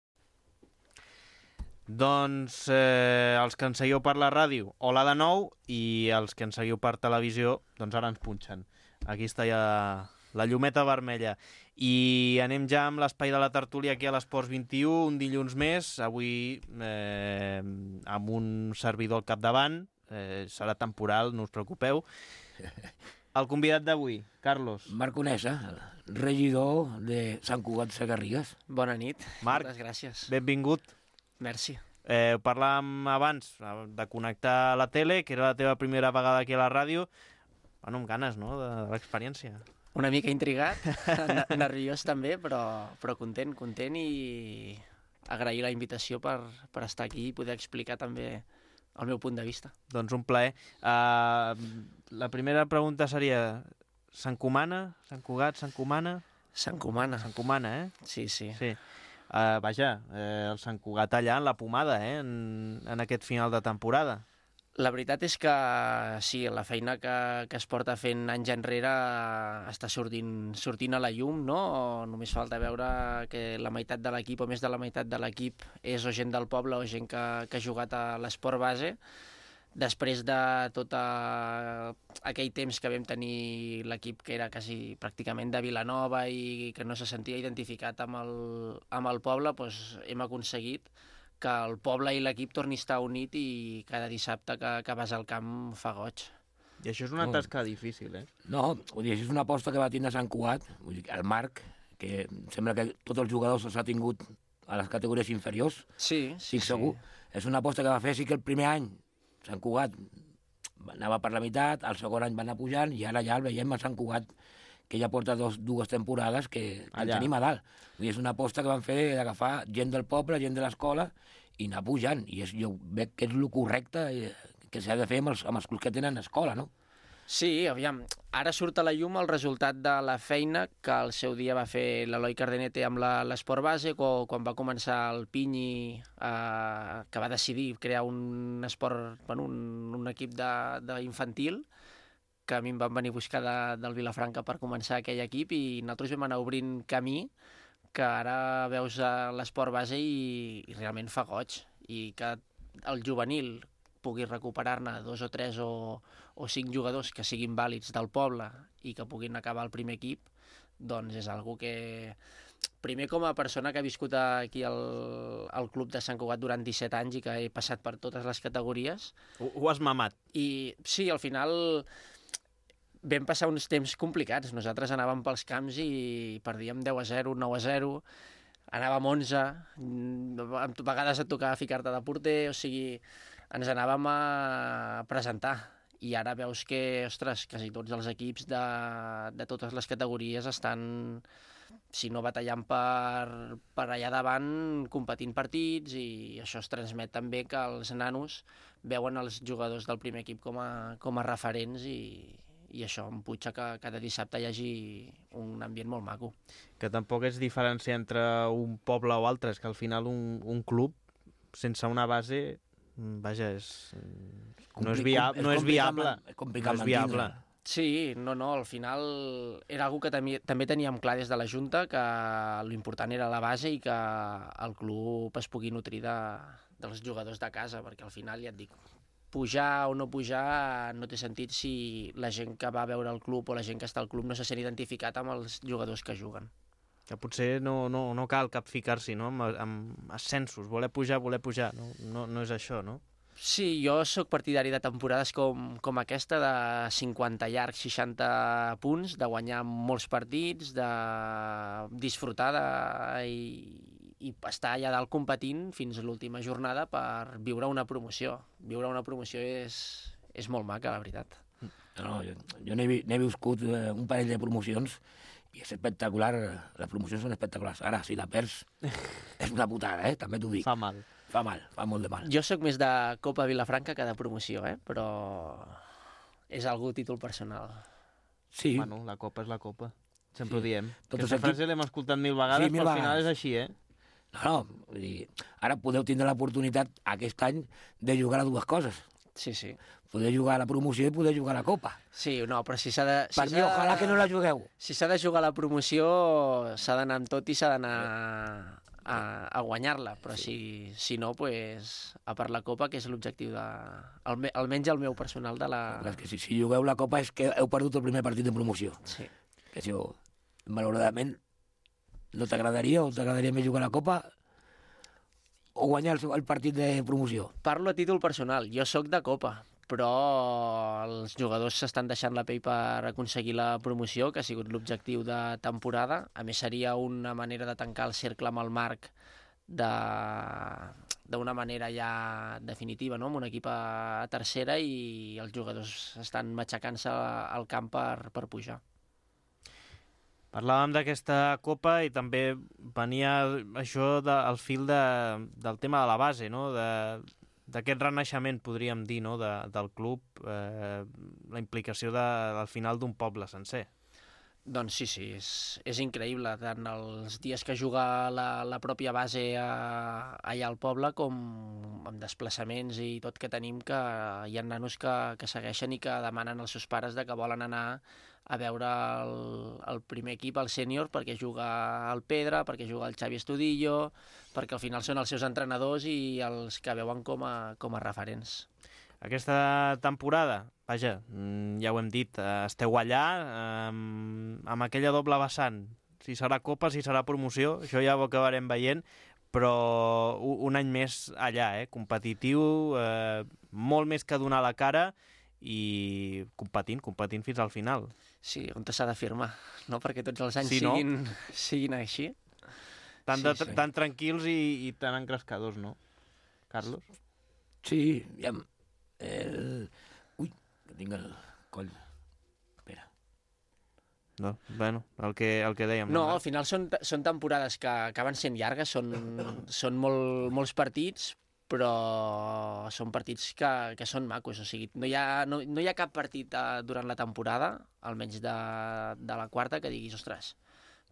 Doncs els que ens seguiu per la ràdio, hola de nou, i els que ens seguiu per televisió, doncs ara ens punxen. Aquí està ja la llumeta vermella. I anem ja amb l'espai de la tertúlia aquí a l'Esports 21, un dilluns més, avui amb un servidor al capdavant, serà temporal, no us preocupeu. El convidat d'avui, Carlos. Marc Onesa, regidor de Sant Cugat Segarrigues. Bona nit. Marc, moltes gràcies. Benvingut. Merci. Parlàvem abans de connectar a la tele, que era la teva primera vegada aquí a la ràdio. Bueno, amb ganes, no?, de l'experiència. Una mica intrigat, nerviós també, però content i agrair la invitació per estar aquí i poder explicar també el meu punt de vista. Doncs un plaer. La primera pregunta seria, s'encomana? Sant Cugat, s'encomana? S'encomana. S'encomana, Sí. Vaja, el Sant Cugat allà en la pomada, en aquest final de temporada. La veritat és que sí, la feina que es porta fent anys enrere està sortint a la llum, no? Només falta veure que la meitat de l'equip o més de la meitat de l'equip és o gent del poble o gent que ha jugat a l'esport base. Després de tot aquell temps que vam tenir l'equip que era quasi pràcticament de Vilanova i que no se sentia identificat amb el poble, doncs hem aconseguit que el poble i l'equip torni a estar unit i cada dissabte que vas al camp fa goig. I això és una tasca difícil, No, vull dir, això és una aposta que va tindre Sant Cugat, vull dir, el Marc, que sembla que tots els jugadors els ha tingut a les categories inferiors. Sí. Segur. És una aposta que va fer, sí que el primer any Sant Cugat anava per la meitat, el segon any va anar pujant i ara ja el veiem a Sant Cugat, que ja porta dues temporades que el tenim a dalt. Vull dir, és una aposta que van fer d'agafar gent del poble, gent de l'escola i anar pujant. I jo veig que és el correcte que s'ha de fer amb els clubs que tenen escola, no? Sí, aviam, ara surt a la llum el resultat de la feina que al seu dia va fer l'Eloi Cardenete amb l'esport base, quan va començar el Pinyi, que va decidir crear un esport, un equip d'infantil, que a mi em van venir a buscar del Vilafranca per començar aquell equip i nosaltres vam anar obrint camí que ara veus l'esport base i realment fa goig. I que el juvenil pugui recuperar-ne 2 o 3 o 5 jugadors que siguin vàlids del poble i que puguin acabar el primer equip, doncs és algo que... Primer, com a persona que ha viscut aquí al club de Sant Cugat durant 17 anys i que he passat per totes les categories... Ho has mamat. I sí, al final vam passar uns temps complicats. Nosaltres anàvem pels camps i perdíem 10-0, 9-0, anàvem 11, a vegades et tocava ficar-te de porter, o sigui, ens anàvem a presentar. I ara veus que, ostres, quasi tots els equips de totes les categories estan, si no batallant per allà davant, competint partits, i això es transmet també que els nanos veuen els jugadors del primer equip com a referents i això em puja que cada dissabte hi hagi un ambient molt maco. Que tampoc és diferència entre un poble o altre, és que al final un club sense una base, vaja, no és viable. Sí, no, al final era algo que també teníem clar des de la Junta, que l'important era la base i que el club es pugui nutrir dels jugadors de casa, perquè al final, ja et dic, pujar o no pujar no té sentit si la gent que va veure el club o la gent que està al club no se sent identificat amb els jugadors que juguen. Que potser no cal capficar-s'hi, no?, amb ascensos, voler pujar, no és això, no? Sí, jo sóc partidari de temporades com aquesta, de 50 llargs, 60 punts, de guanyar molts partits, de disfrutar i estar allà dalt competint fins a l'última jornada per viure una promoció. Viure una promoció és molt maca, la veritat. No, jo n'he viscut un parell de promocions i és espectacular, les promocions són espectaculars. Ara, si la perds, és una putada, també t'ho dic. Fa mal. Fa molt de mal. Jo sóc més de Copa Vilafranca que de promoció, però és algú títol personal. Sí. Bueno, la Copa és la Copa. Sempre ho diem. Aquesta frase l'hem escoltat 1000 vegades, però al final és així, No, vull dir, ara podeu tindre l'oportunitat aquest any de jugar a dues coses. Sí. Poder jugar a la promoció i poder jugar a la Copa. Sí, no, però si s'ha de... Per mi, ojalà que no la jugueu. Si s'ha de jugar a la promoció, s'ha d'anar amb tot i s'ha d'anar a guanyar-la, però si no, a per la Copa, que és l'objectiu almenys el meu personal de la... Clar, que si jugueu la Copa és que heu perdut el primer partit de promoció. Sí. Que si malauradament no t'agradaria o t'agradaria més jugar a la Copa o guanyar el partit de promoció? Parlo a títol personal, jo sóc de Copa, però els jugadors s'estan deixant la pell per aconseguir la promoció, que ha sigut l'objectiu de temporada. A més, seria una manera de tancar el cercle amb el Marc d'una manera ja definitiva, no?, amb un equip a tercera, i els jugadors estan matxacant-se al camp per pujar. Parlàvem d'aquesta Copa i també venia això al fil del tema de la base, no?, d'aquest renaixement, podríem dir, no?, del club, la implicació al final d'un poble sencer. Doncs sí, és increïble, tant els dies que juga la pròpia base allà al poble com amb desplaçaments i tot que tenim, que hi ha nanos que segueixen i que demanen als seus pares que volen anar a veure el primer equip, el sènior, perquè juga el Pedra, perquè juga el Xavi Estudillo, perquè al final són els seus entrenadors i els que veuen com a referents. Aquesta temporada, vaja, ja ho hem dit, esteu allà amb aquella doble vessant. Si serà Copa, si serà promoció, això ja ho acabarem veient, però un any més allà, competitiu, molt més que donar la cara i competint fins al final. Sí, on s'ha de firmar, no? Perquè tots els anys siguin així. Tan tranquils i tan encrescadors, no, Carlos? Sí, ja... Ui, que tinc el coll. Espera. No, bueno, el que dèiem. No, al final són temporades que acaben sent llargues, són molts partits, però són partits que són macos. O sigui, no hi ha cap partit durant la temporada, almenys de la quarta, que diguis, ostres,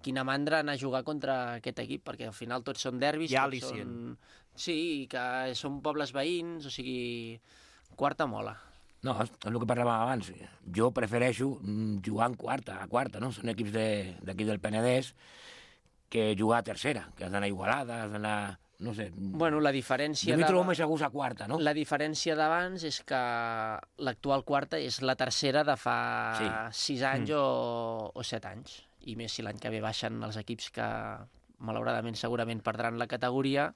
quina mandra anar a jugar contra aquest equip, perquè al final tots són derbis. Hi ha al·licient. Sí, que són pobles veïns, o sigui... Quarta mola. No, és el que parlàvem abans. Jo prefereixo jugar a quarta, no? Són equips d'aquí del Penedès que jugar a tercera, que has d'anar a Igualada, has d'anar... no sé... Bueno, la diferència... Jo m'hi trobo més a gust a quarta, no? La diferència d'abans és que l'actual quarta és la tercera de fa 6 anys o 7 anys. I més si l'any que ve baixen els equips que, malauradament, segurament perdran la categoria,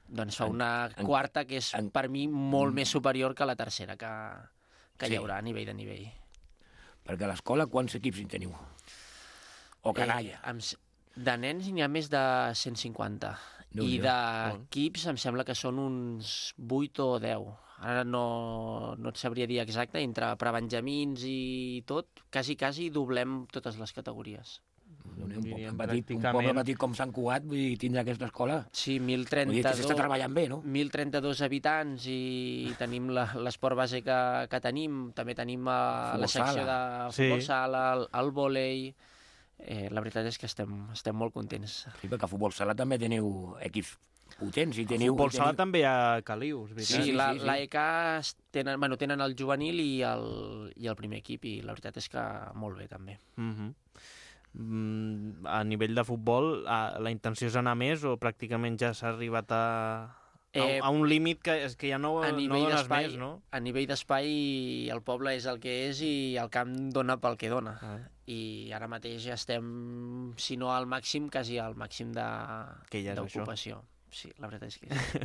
doncs fa una quarta que és, per mi, molt més superior que la tercera que hi haurà a nivell de nivell. Perquè a l'escola quants equips hi teniu? O canalla? De nens n'hi ha més de 150. I d'equips em sembla que són uns 8 o 10. Ara no et sabria dir exacte, entre prebenjamins i tot, quasi doblem totes les categories. Un poble petit com Sant Cugat, vull dir, tindre aquesta escola. Sí, 1032... S'està treballant bé, no? 1032 habitants i tenim l'esport base que tenim. També tenim la secció de futbol sala, el vòlei... La veritat és que estem molt contents. Sí, perquè a futbol sala també teniu equips potents. A futbol sala també hi ha calius. Sí, l'AEK tenen el juvenil i el primer equip, i la veritat és que molt bé també. A nivell de futbol, la intenció és anar més o pràcticament ja s'ha arribat a un límit que ja no dones més, no? A nivell d'espai el poble és el que és i el camp dona pel que dona. i ara mateix estem, si no al màxim, quasi al màxim d'ocupació. Sí, la veritat és que sí.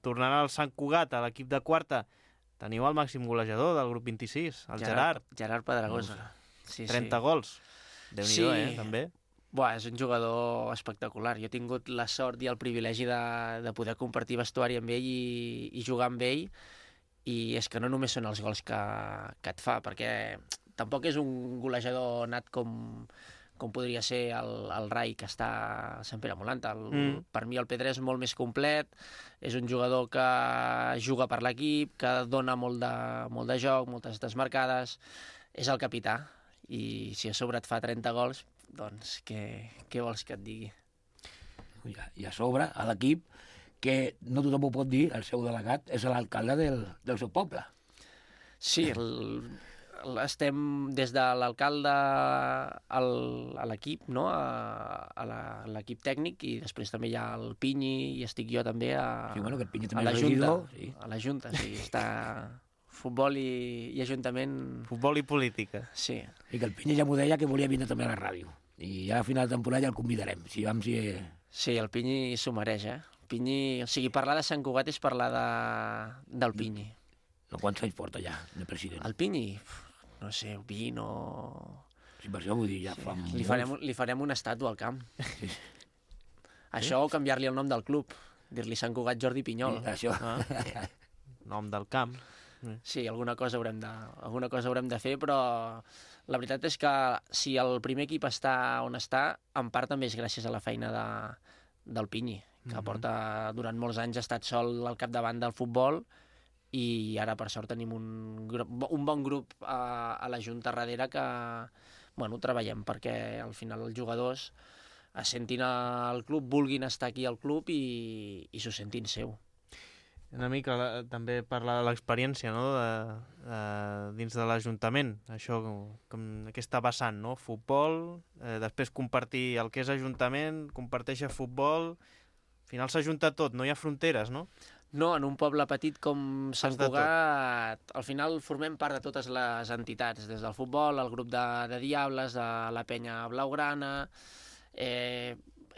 Tornant al Sant Cugat, a l'equip de quarta, teniu el màxim golejador del grup 26, el Gerard. Gerard Pedragosa. Sí, 30 gols. Déu-n'hi-do, també. És un jugador espectacular. Jo he tingut la sort i el privilegi de poder compartir vestuari amb ell i jugar amb ell, i és que no només són els gols que et fa, perquè tampoc és un golejador nat com podria ser el Rai, que està a Sant Pere Molanta. Per mi el Pedré és molt més complet, és un jugador que juga per l'equip, que dona molt de joc, moltes desmarcades, és el capità, i si a sobre et fa 30 gols, doncs què vols que et digui? I a sobre, a l'equip, que no tothom ho pot dir, el seu delegat és l'alcalde del seu poble. Sí, estem des de l'alcalde a l'equip, no? a l'equip tècnic, i després també hi ha el Pinyi, i estic jo també a la Junta. Sí, està futbol i ajuntament... Futbol i política. Sí. I que el Pinyi ja m'ho deia que volia vindre també a la ràdio. I ja a final de temporada ja el convidarem. Sí, el Pinyi s'ho mereix, Pinyi, o sigui, parlar de Sant Cugat és parlar del Pinyi. No, quants anys porta ja de president? El Pinyi, no sé, 20 o... Sí, per això vull dir, ja fa molt. Li farem una estàtua al camp. Sí. Això o canviar-li el nom del club, dir-li Sant Cugat Jordi Pinyol. Sí, això. Nom del camp. Sí, alguna cosa haurem de fer, però la veritat és que si el primer equip està on està, en part també és gràcies a la feina del Pinyi, que porta durant molts anys, ha estat sol al capdavant del futbol, i ara per sort tenim un bon grup a la Junta darrere que treballem perquè al final els jugadors es sentin al club, vulguin estar aquí al club i s'ho sentin seu. Una mica també parlar de l'experiència, no? Dins de l'Ajuntament, això, aquesta vessant, no? Futbol, després compartir el que és Ajuntament, comparteixer futbol, al final s'ajunta tot, no hi ha fronteres, no? No, en un poble petit com Sant Cugat, al final formem part de totes les entitats, des del futbol, el grup de Diables, de la Penya Blaugrana...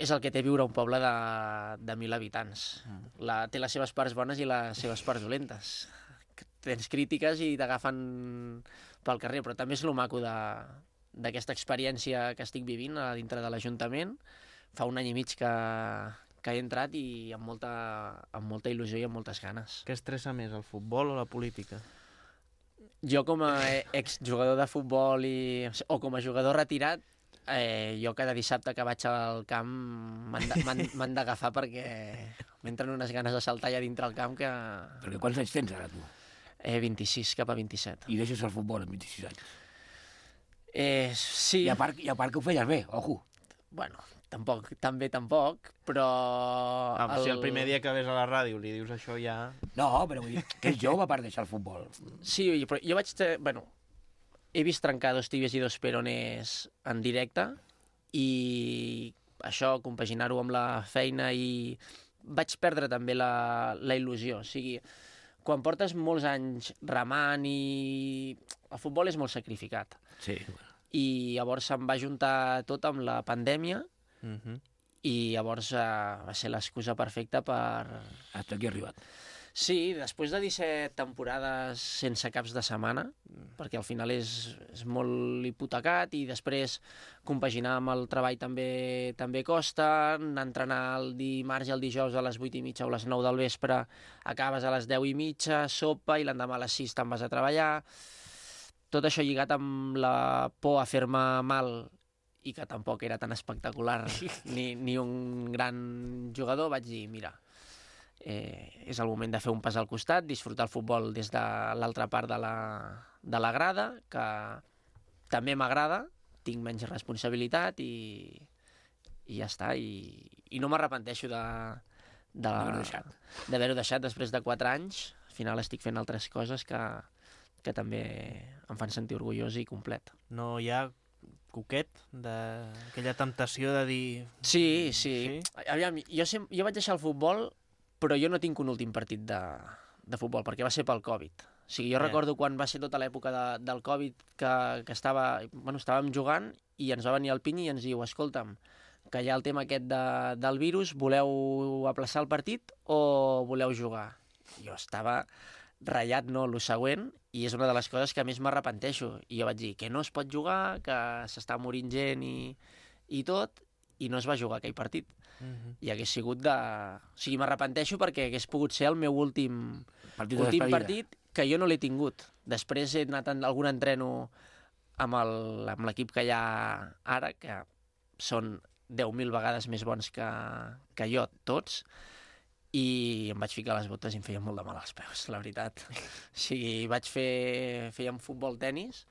És el que té viure un poble de 1.000 habitants. Té les seves parts bones i les seves parts dolentes. Tens crítiques i t'agafen pel carrer, però també és lo maco d'aquesta experiència que estic vivint a dintre de l'Ajuntament. Fa un any i mig que he entrat i amb molta il·lusió i amb moltes ganes. Què estressa més, el futbol o la política? Jo com a exjugador de futbol o com a jugador retirat, jo cada dissabte que vaig al camp m'han d'agafar perquè m'entren unes ganes de saltar allà dintre el camp que... Perquè quants anys tens ara, tu? 26 cap a 27. I deixes el futbol amb 26 anys? Sí. I a part que ho feies bé, ojo. Bueno, tampoc, però... Si el primer dia que ves a la ràdio li dius això ja... No, però vull dir que és jove per deixar el futbol. Sí, però jo he vist trencar 2 tíbies i 2 perones en directe i això, compaginar-ho amb la feina, i vaig perdre també la il·lusió. O sigui, quan portes molts anys remant i el futbol és molt sacrificat. Sí. I llavors se'm va juntar tot amb la pandèmia i llavors va ser l'excusa perfecta per... Hasta aquí he arribat. Sí, després de 17 temporades sense caps de setmana, perquè al final és molt hipotecat, i després compaginar amb el treball també costa, anar a entrenar el dimarts i el dijous a les 8:30 o les 9 del vespre, acabes a les 10:30, sopa, i l'endemà a les 6 te'n vas a treballar. Tot això lligat amb la por a fer-me mal, i que tampoc era tan espectacular ni un gran jugador, vaig dir, mira, és el moment de fer un pas al costat, disfrutar el futbol des de l'altra part de la grada, que també m'agrada, tinc menys responsabilitat i ja està. I no m'arrepenteixo d'haver-ho deixat després de 4 anys. Al final estic fent altres coses que també em fan sentir orgullós i complet. No hi ha coquet d'aquella temptació de dir... Sí. Aviam, jo vaig deixar el futbol, però jo no tinc un últim partit de futbol, perquè va ser pel Covid. O O sigui, jo recordo quan va ser tota l'època del Covid que estàvem jugant i ens va venir el Pinyi i ens diu, escolta'm, que hi ha el tema aquest del virus, voleu aplaçar el partit o voleu jugar? Jo estava ratllat, no, el següent, i és una de les coses que més m'arrepenteixo. I jo vaig dir que no es pot jugar, que s'està morint gent i tot, i no es va jugar aquell partit. I hagués sigut de... O sigui, m'arrepenteixo perquè hagués pogut ser el meu últim partit que jo no l'he tingut. Després he anat a algun entreno amb l'equip que hi ha ara, que són 10.000 vegades més bons que jo, tots, i em vaig ficar les botes i em feia molt de mal als peus, la veritat. O sigui, fèiem futbol-tenis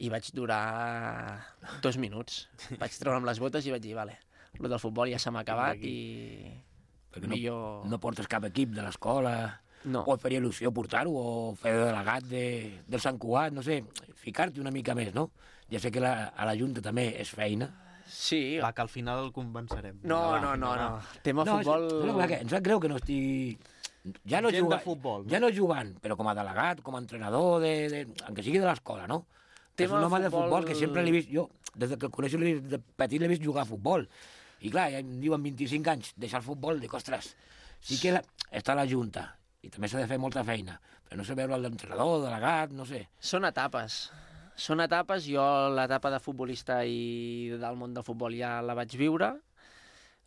i vaig durar 2 minuts. Vaig treure'm les botes i vaig dir, vale, el del futbol ja se m'ha acabat i... Perquè no portes cap equip de l'escola, o et faria il·lusió portar-ho, o fer de delegat del Sant Cugat, no sé, ficar-t'hi una mica més, no? Ja sé que a la Junta també és feina. Sí. Va, que al final el convencerem. No. Tema futbol... Em sap greu que no estigui... Ja no jugant, però com a delegat, com a entrenador, encara sigui de l'escola, no? És un home de futbol que sempre l'he vist... Jo, des que el coneixo de petit l'he vist jugar a futbol. I clar, ja em diuen 25 anys, deixar el futbol, dic, ostres, sí que està a la Junta, i també s'ha de fer molta feina, però no sé veure l'entrenador, delegat, no sé. Són etapes. Jo l'etapa de futbolista i del món del futbol ja la vaig viure.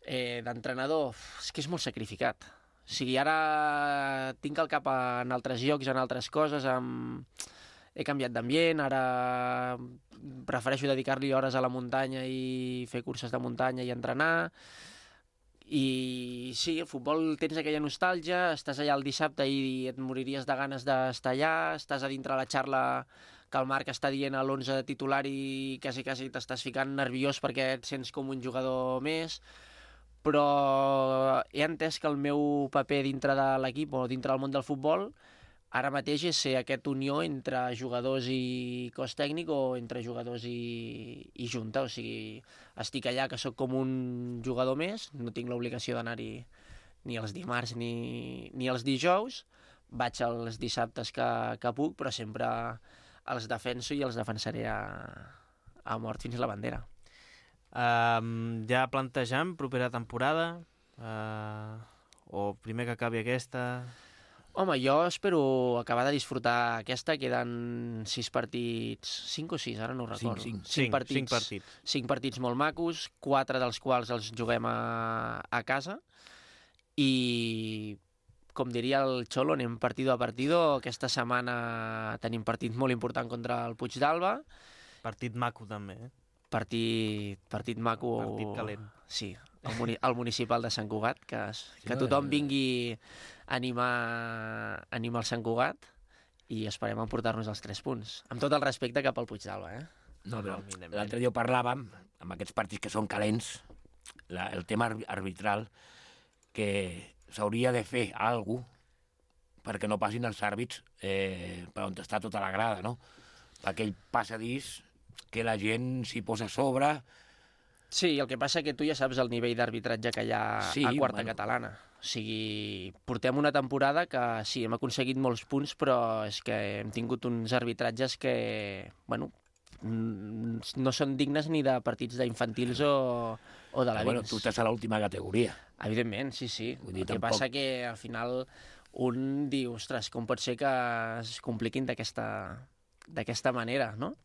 D'entrenador, és que és molt sacrificat. O sigui, ara tinc el cap en altres llocs, en altres coses, he canviat d'ambient, ara prefereixo dedicar-li hores a la muntanya i fer curses de muntanya i entrenar. I sí, el futbol tens aquella nostàlgia, estàs allà el dissabte i et moriries de ganes d'estar allà, estàs a dintre la xarla que el Marc està dient a l'11 titular i quasi t'estàs ficant nerviós perquè et sents com un jugador més, però he entès que el meu paper dintre de l'equip o dintre del món del futbol ara mateix és ser aquesta unió entre jugadors i cos tècnic o entre jugadors i junta. O sigui, estic allà que sóc com un jugador més, no tinc l'obligació d'anar-hi ni els dimarts ni els dijous, vaig els dissabtes que puc, però sempre els defenso i els defensaré a mort fins a la bandera. Ja plantejam propera temporada? O primer que acabi aquesta... Home, jo espero acabar de disfrutar aquesta. Queden 6 partits... 5 o 6, ara no ho recordo. 5 partits. 5 partits molt macos, 4 dels quals els juguem a casa. I, com diria el Xolo, anem partido a partido. Aquesta setmana tenim partit molt important contra el Puigdàlber. Partit maco, també, eh? Partit maco. Partit calent. Sí, el municipal de Sant Cugat, que tothom vingui a animar el Sant Cugat i esperem emportar-nos els 3 punts. Amb tot el respecte cap al Puigdàlber, eh? No, però l'altre dia parlàvem, amb aquests partits que són calents, el tema arbitral, que s'hauria de fer alguna cosa perquè no passin els àrbits per on està tota la grada, no? Per aquell passadís que la gent s'hi posa a sobre... Sí, el que passa que tu ja saps el nivell d'arbitratge que hi ha a quarta catalana. O sigui, portem una temporada que sí, hem aconseguit molts punts, però és que hem tingut uns arbitratges que, bueno, no són dignes ni de partits d'infantils o de la Bueno, tu estàs a l'última categoria. Evidentment, sí. El que passa que al final un diu, ostres, com pot ser que es compliquin d'aquesta manera, no?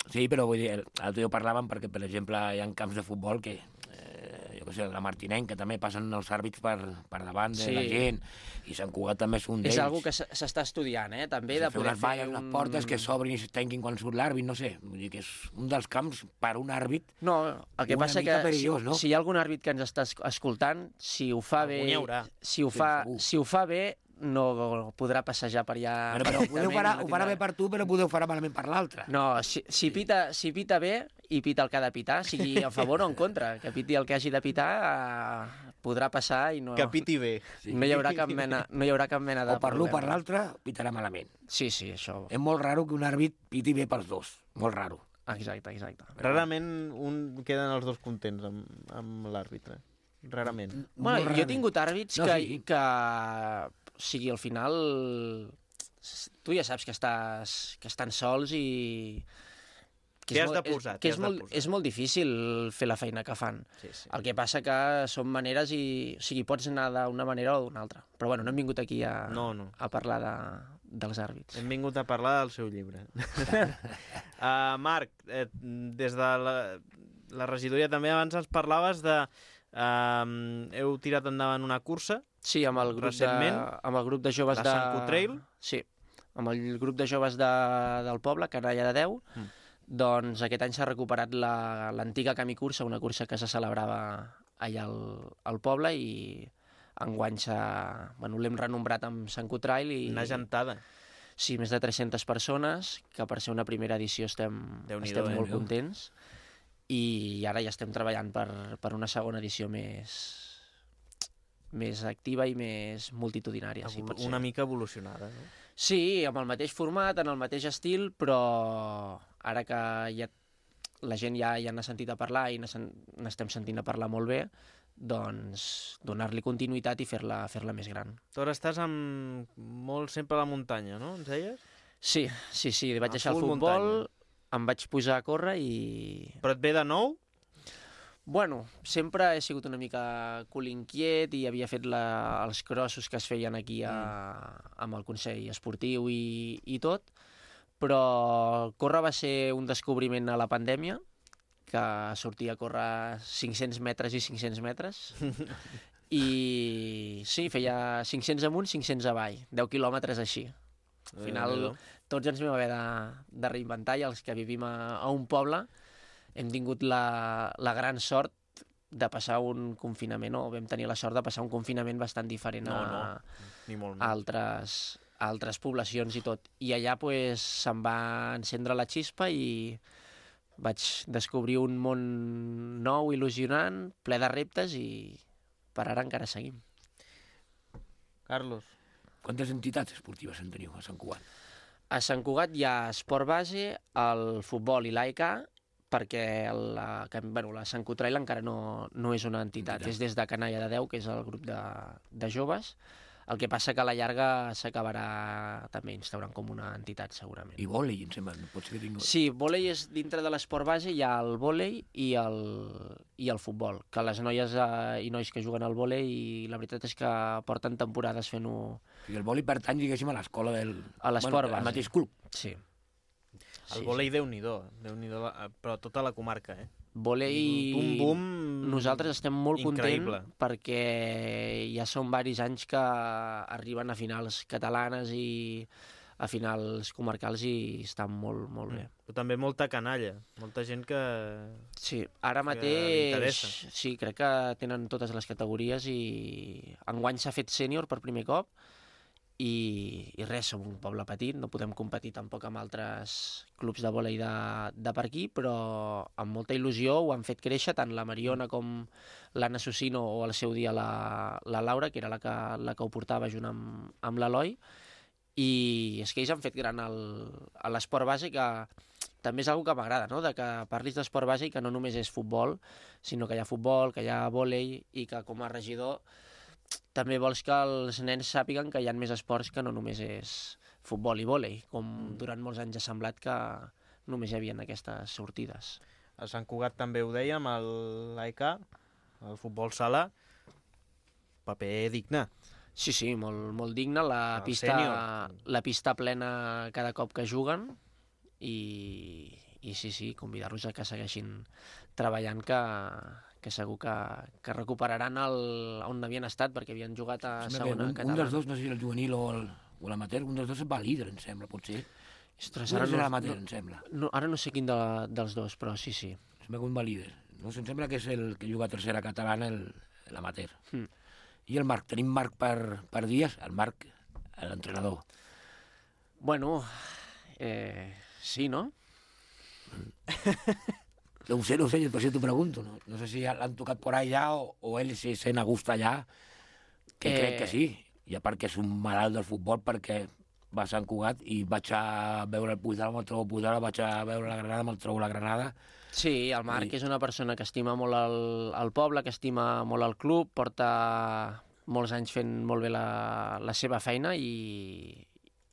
Sí, però vull dir, l'altre dia parlàvem perquè, per exemple, hi ha camps de futbol que, jo què sé, la Martinenc, que també passen els àrbits per davant de la gent, i Sant Cugat també és un d'ells. És una cosa que s'està estudiant, també, de poder fer unes valles, unes portes que s'obrin i es tanquin quan surt l'àrbit, no sé, vull dir que és un dels camps per un àrbit. No, el que passa que si hi ha algun àrbit que ens està escoltant, si ho fa bé, si ho fa bé, no podrà passejar per allà... Però ho farà bé per tu, però ho farà malament per l'altre. No, si pita bé i pita el que ha de pitar, sigui a favor o en contra, que piti el que hagi de pitar, podrà passar i no... Que piti bé. No hi haurà cap mena de o per l'un o per l'altre, pitarà malament. Sí, això... És molt raro que un àrbit piti bé pels dos, molt raro. Exacte. Rarament queden els dos contents amb l'àrbitre. Rarament. Bueno, jo he tingut àrbits que... O sigui, al final tu ja saps que estan sols i... Què has de posar? És molt difícil fer la feina que fan. Sí. El que passa que són maneres i... O sigui, pots anar d'una manera o d'una altra. Però bueno, no hem vingut aquí a parlar dels àrbits. Hem vingut a parlar del seu llibre. Marc, des de la regidoria també abans ens parlaves de... heu tirat endavant una cursa. Sí, amb el grup de joves de... La Sant Cotrail. Sí, amb el grup de joves del poble, Canalla de Déu. Doncs aquest any s'ha recuperat l'antiga Camí Cursa, una cursa que se celebrava allà al poble, i enguany l'hem renombrat amb Sant Cotrail. Una gentada. Sí, més de 300 persones, que per ser una primera edició estem molt contents, i ara ja estem treballant per una segona edició més activa i més multitudinària. Una mica evolucionada, no? Sí, amb el mateix format, en el mateix estil, però ara que la gent ja n'ha sentit a parlar i n'estem sentint a parlar molt bé, doncs donar-li continuïtat i fer-la més gran. Tu ara estàs molt sempre a la muntanya, no? Ens deies? Sí, vaig deixar el futbol, em vaig posar a córrer i... Però et ve de nou? Bueno, sempre he sigut una mica cul inquiet i havia fet els crossos que es feien aquí amb el Consell Esportiu i tot, però córrer va ser un descobriment a la pandèmia, que sortia a córrer 500 metres i 500 metres, i sí, feia 500 amunt, 500 avall, 10 quilòmetres així. Al final tots ens vam haver de reinventar, i els que vivim a un poble hem tingut la gran sort de passar un confinament, o vam tenir la sort de passar un confinament bastant diferent a altres poblacions i tot. I allà se'm va encendre la xispa i vaig descobrir un món nou, il·lusionant, ple de reptes, i per ara encara seguim. Carlos. Quantes entitats esportives en teniu a Sant Cugat? A Sant Cugat hi ha esport base, el futbol i l'AEK, perquè la Sant Cotrail encara no és una entitat, és des de Canalla de Déu, que és el grup de joves. El que passa que a la llarga s'acabarà també instaurant com una entitat, segurament. I vòlei, em sembla, no pot ser que tingui... Sí, vòlei és dintre de l'esport base, hi ha el vòlei i el futbol, que les noies i nois que juguen al vòlei, i la veritat és que porten temporades fent-ho... I el vòlei pertany, diguéssim, a l'escola a l'esport base. Al mateix club. Sí. El vòlei, Déu-n'hi-do, però tota la comarca, Vòlei, nosaltres estem molt contents perquè ja són diversos anys que arriben a finals catalanes i a finals comarcals i estan molt, molt bé. Però també molta canalla, molta gent que... Sí, ara mateix sí, crec que tenen totes les categories, i enguany s'ha fet sènior per primer cop, i res, som un poble petit, no podem competir tampoc amb altres clubs de vòlei de per aquí, però amb molta il·lusió ho han fet créixer, tant la Mariona com l'Anna Susino, o al seu dia la Laura, que era la que ho portava junt amb l'Eloi, i és que ells han fet gran l'esport base, que també és una que m'agrada, no? De que parlis d'esport base i que no només és futbol, sinó que hi ha futbol, que hi ha vòlei, i que com a regidor també vols que els nens sàpiguen que hi ha més esports, que no només és futbol i vòlei, com durant molts anys ha semblat que només hi havia aquestes sortides. A Sant Cugat també ho dèiem, l'AEK, el futbol sala, paper digne. Sí, molt digne, la pista plena cada cop que juguen, i sí, convidar-los a que segueixin treballant, que segur que recuperaran on havien estat, perquè havien jugat a segona catalana. Un dels dos, no sé si el juvenil o l'amateur, un dels dos va líder, em sembla, potser. Ostres, ara no l'amateur, em sembla. Ara no sé quin dels dos, però sí. Em sembla que un va líder. No sé, em sembla que és el que juga a tercera catalana, l'amateur. I el Marc, tenim Marc per dies, el Marc, l'entrenador. Bueno, sí, no? No ho sé, per això t'ho pregunto. No sé si l'han tocat por allà o ell se sent a gust allà, que crec que sí. I a part que és un malalt del futbol, perquè va a Sant Cugat i vaig a veure el Puigdemont, me'l trobo Puigdemont, vaig a veure la Granada, me'l trobo la Granada. Sí, el Marc és una persona que estima molt el poble, que estima molt el club, porta molts anys fent molt bé la seva feina, i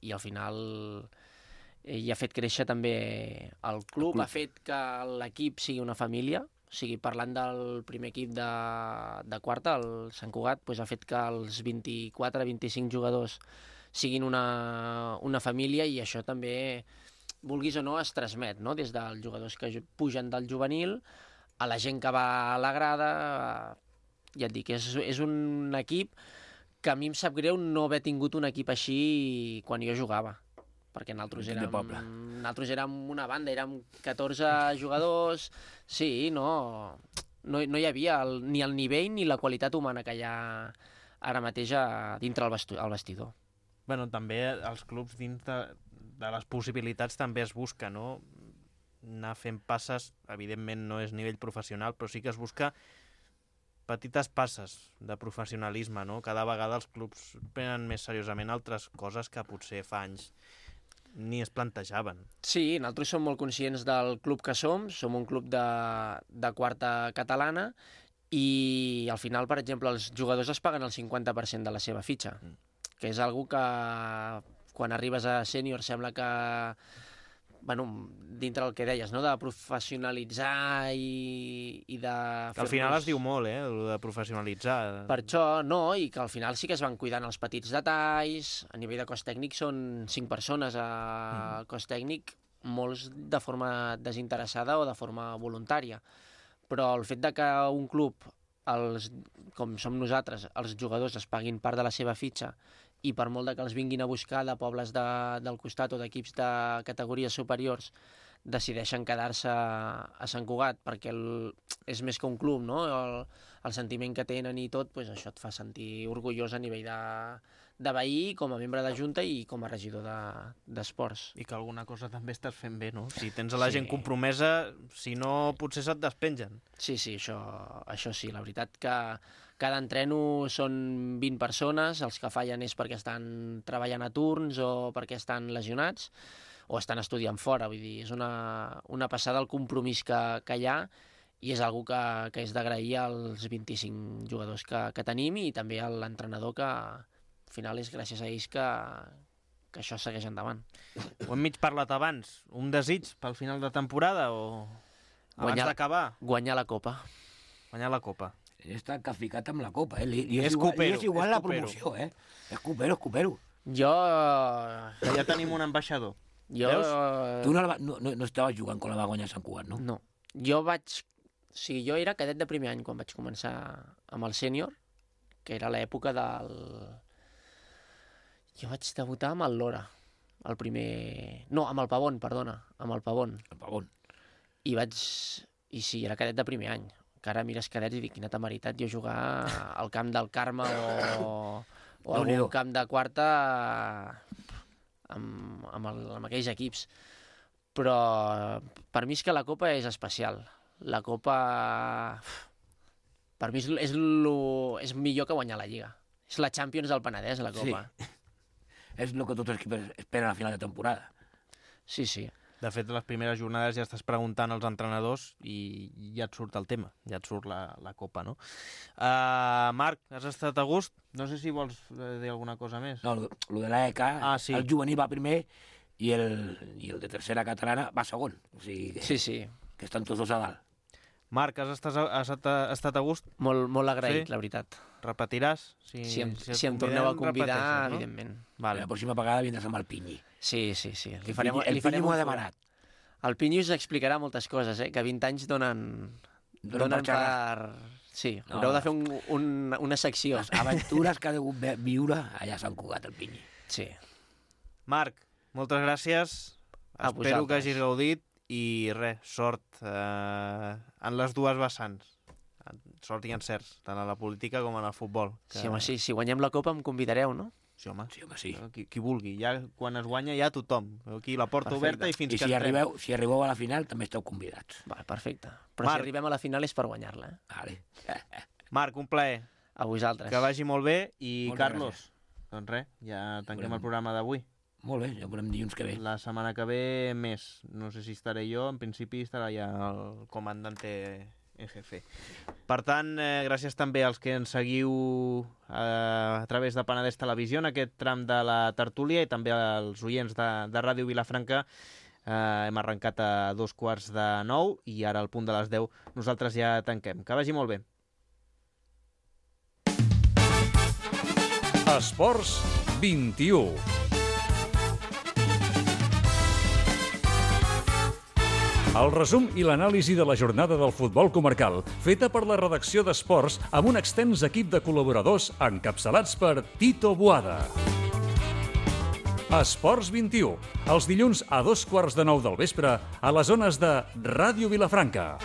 i al final i ha fet créixer també el club, ha fet que l'equip sigui una família, o sigui, parlant del primer equip de quarta, el Sant Cugat, doncs ha fet que els 24-25 jugadors siguin una família, i això també, vulguis o no, es transmet, no? Des dels jugadors que pugen del juvenil a la gent que va a la grada. Ja et dic, és un equip que a mi em sap greu no haver tingut un equip així quan jo jugava, perquè nosaltres érem una banda, érem 14 jugadors, sí, no hi havia ni el nivell ni la qualitat humana que hi ha ara mateix dintre el vestidor. Bueno, també els clubs dins de les possibilitats també es busca, no? Anar fent passes, evidentment no és nivell professional, però sí que es busca petites passes de professionalisme, no? Cada vegada els clubs prenen més seriosament altres coses que potser fa anys ni es plantejaven. Sí, nosaltres som molt conscients del club que som un club de quarta catalana, i al final, per exemple, els jugadors es paguen el 50% de la seva fitxa, que és algo que quan arribes a sènior sembla que, bueno, dintre del que deies, no?, de professionalitzar i de... Al final es diu molt, el de professionalitzar. Per això, no, i que al final sí que es van cuidant els petits detalls. A nivell de cos tècnic són 5 persones al cos tècnic, molts de forma desinteressada o de forma voluntària. Però el fet de que un club, com som nosaltres, els jugadors es paguin part de la seva fitxa, i per molt que els vinguin a buscar de pobles del costat o d'equips de categories superiors, decideixen quedar-se a Sant Cugat perquè és més que un club, no? El sentiment que tenen i tot, doncs això et fa sentir orgullós a nivell de veí, com a membre de junta i com a regidor d'esports. I que alguna cosa també estàs fent bé, no? Si tens la gent compromesa, si no, potser se't despengen. Sí, això sí. La veritat que cada entreno són 20 persones, els que fallen és perquè estan treballant a turns o perquè estan lesionats o estan estudiant fora. Vull dir, és una passada el compromís que hi ha, i és algo que és d'agrair als 25 jugadors que tenim, i també a l'entrenador, que al final és gràcies a ells que això segueix endavant. Ho hem mig parlat abans. Un desig pel final de temporada o abans d'acabar? Guanyar la Copa. Guanyar la Copa. Està ficat amb la Copa, És igual la promoció, És copero. Jo... Ja tenim un ambaixador. Tu no estaves jugant quan la va guanyar Sant Cugat, no? No. Jo era cadet de primer any quan vaig començar amb el sènior, que era l'època del... Jo vaig debutar amb el Lora, el primer... No, amb el Pavón, perdona, amb el Pavón. El Pavón. I sí, era cadet de primer any. Que ara mires cadets i dic, quina temeritat jo jugar al camp del Carme o algun camp de quarta amb aquells equips. Però per mi és que la Copa és especial. La Copa, per mi és millor que guanyar la Lliga. És la Champions del Penedès, la Copa. Sí. És el que tots els equips esperen a la final de temporada. Sí, sí. De fet, les primeres jornades ja estàs preguntant als entrenadors i ja et surt el tema, ja et surt la Copa, no? Marc, has estat a gust? No sé si vols dir alguna cosa més. No, el de l'EK, sí. El juvenil va primer i el de tercera catalana va segon. O sigui, sí. Que estan tots dos a dalt. Marc, has estat a gust? Molt agraït, sí? La veritat. Repetiràs? Si em torneu a convidar, no? Evidentment. Vale. La pròxima vegada vindràs amb el Pinyi. Sí. El Pinyi m'ho ha demanat. El Pinyi us explicarà moltes coses, que 20 anys donen per... Sí, haureu de fer una secció. Les aventures que ha degut viure allà a Sant Cugat, el Pinyi. Sí. Marc, moltes gràcies. Espero que hagis gaudit i sort en les dues vessants. Sort i encerts, tant a la política com en el futbol. Sí, home, sí. Si guanyem la Copa em convidareu, no? Sí, home. Sí. Qui vulgui. Ja, quan es guanya, ja tothom. Aquí la porta oberta i fins que entrem. Si arribeu a la final, també esteu convidats. Va, perfecte. Però Marc, si arribem a la final és per guanyar-la. Vale. Marc, un plaer. A vosaltres. Que vagi molt bé. I Carlos, doncs res, ja tanquem el programa d'avui. Molt bé, ja veurem dilluns que ve. La setmana que ve més. No sé si estaré jo, en principi estarà ja el comandante Per tant, gràcies també als que ens seguiu a través de Penedès Televisió en aquest tram de la tertúlia i també als oients de Ràdio Vilafranca. Hem arrencat a 8:45 i ara al punt de les 10 nosaltres ja tanquem. Que vagi molt bé. Esports 21. El resum i l'anàlisi de la jornada del futbol comarcal, feta per la redacció d'Esports amb un extens equip de col·laboradors encapçalats per Tito Boada. Esports 21, els dilluns a 8:15 del vespre a les zones de Ràdio Vilafranca.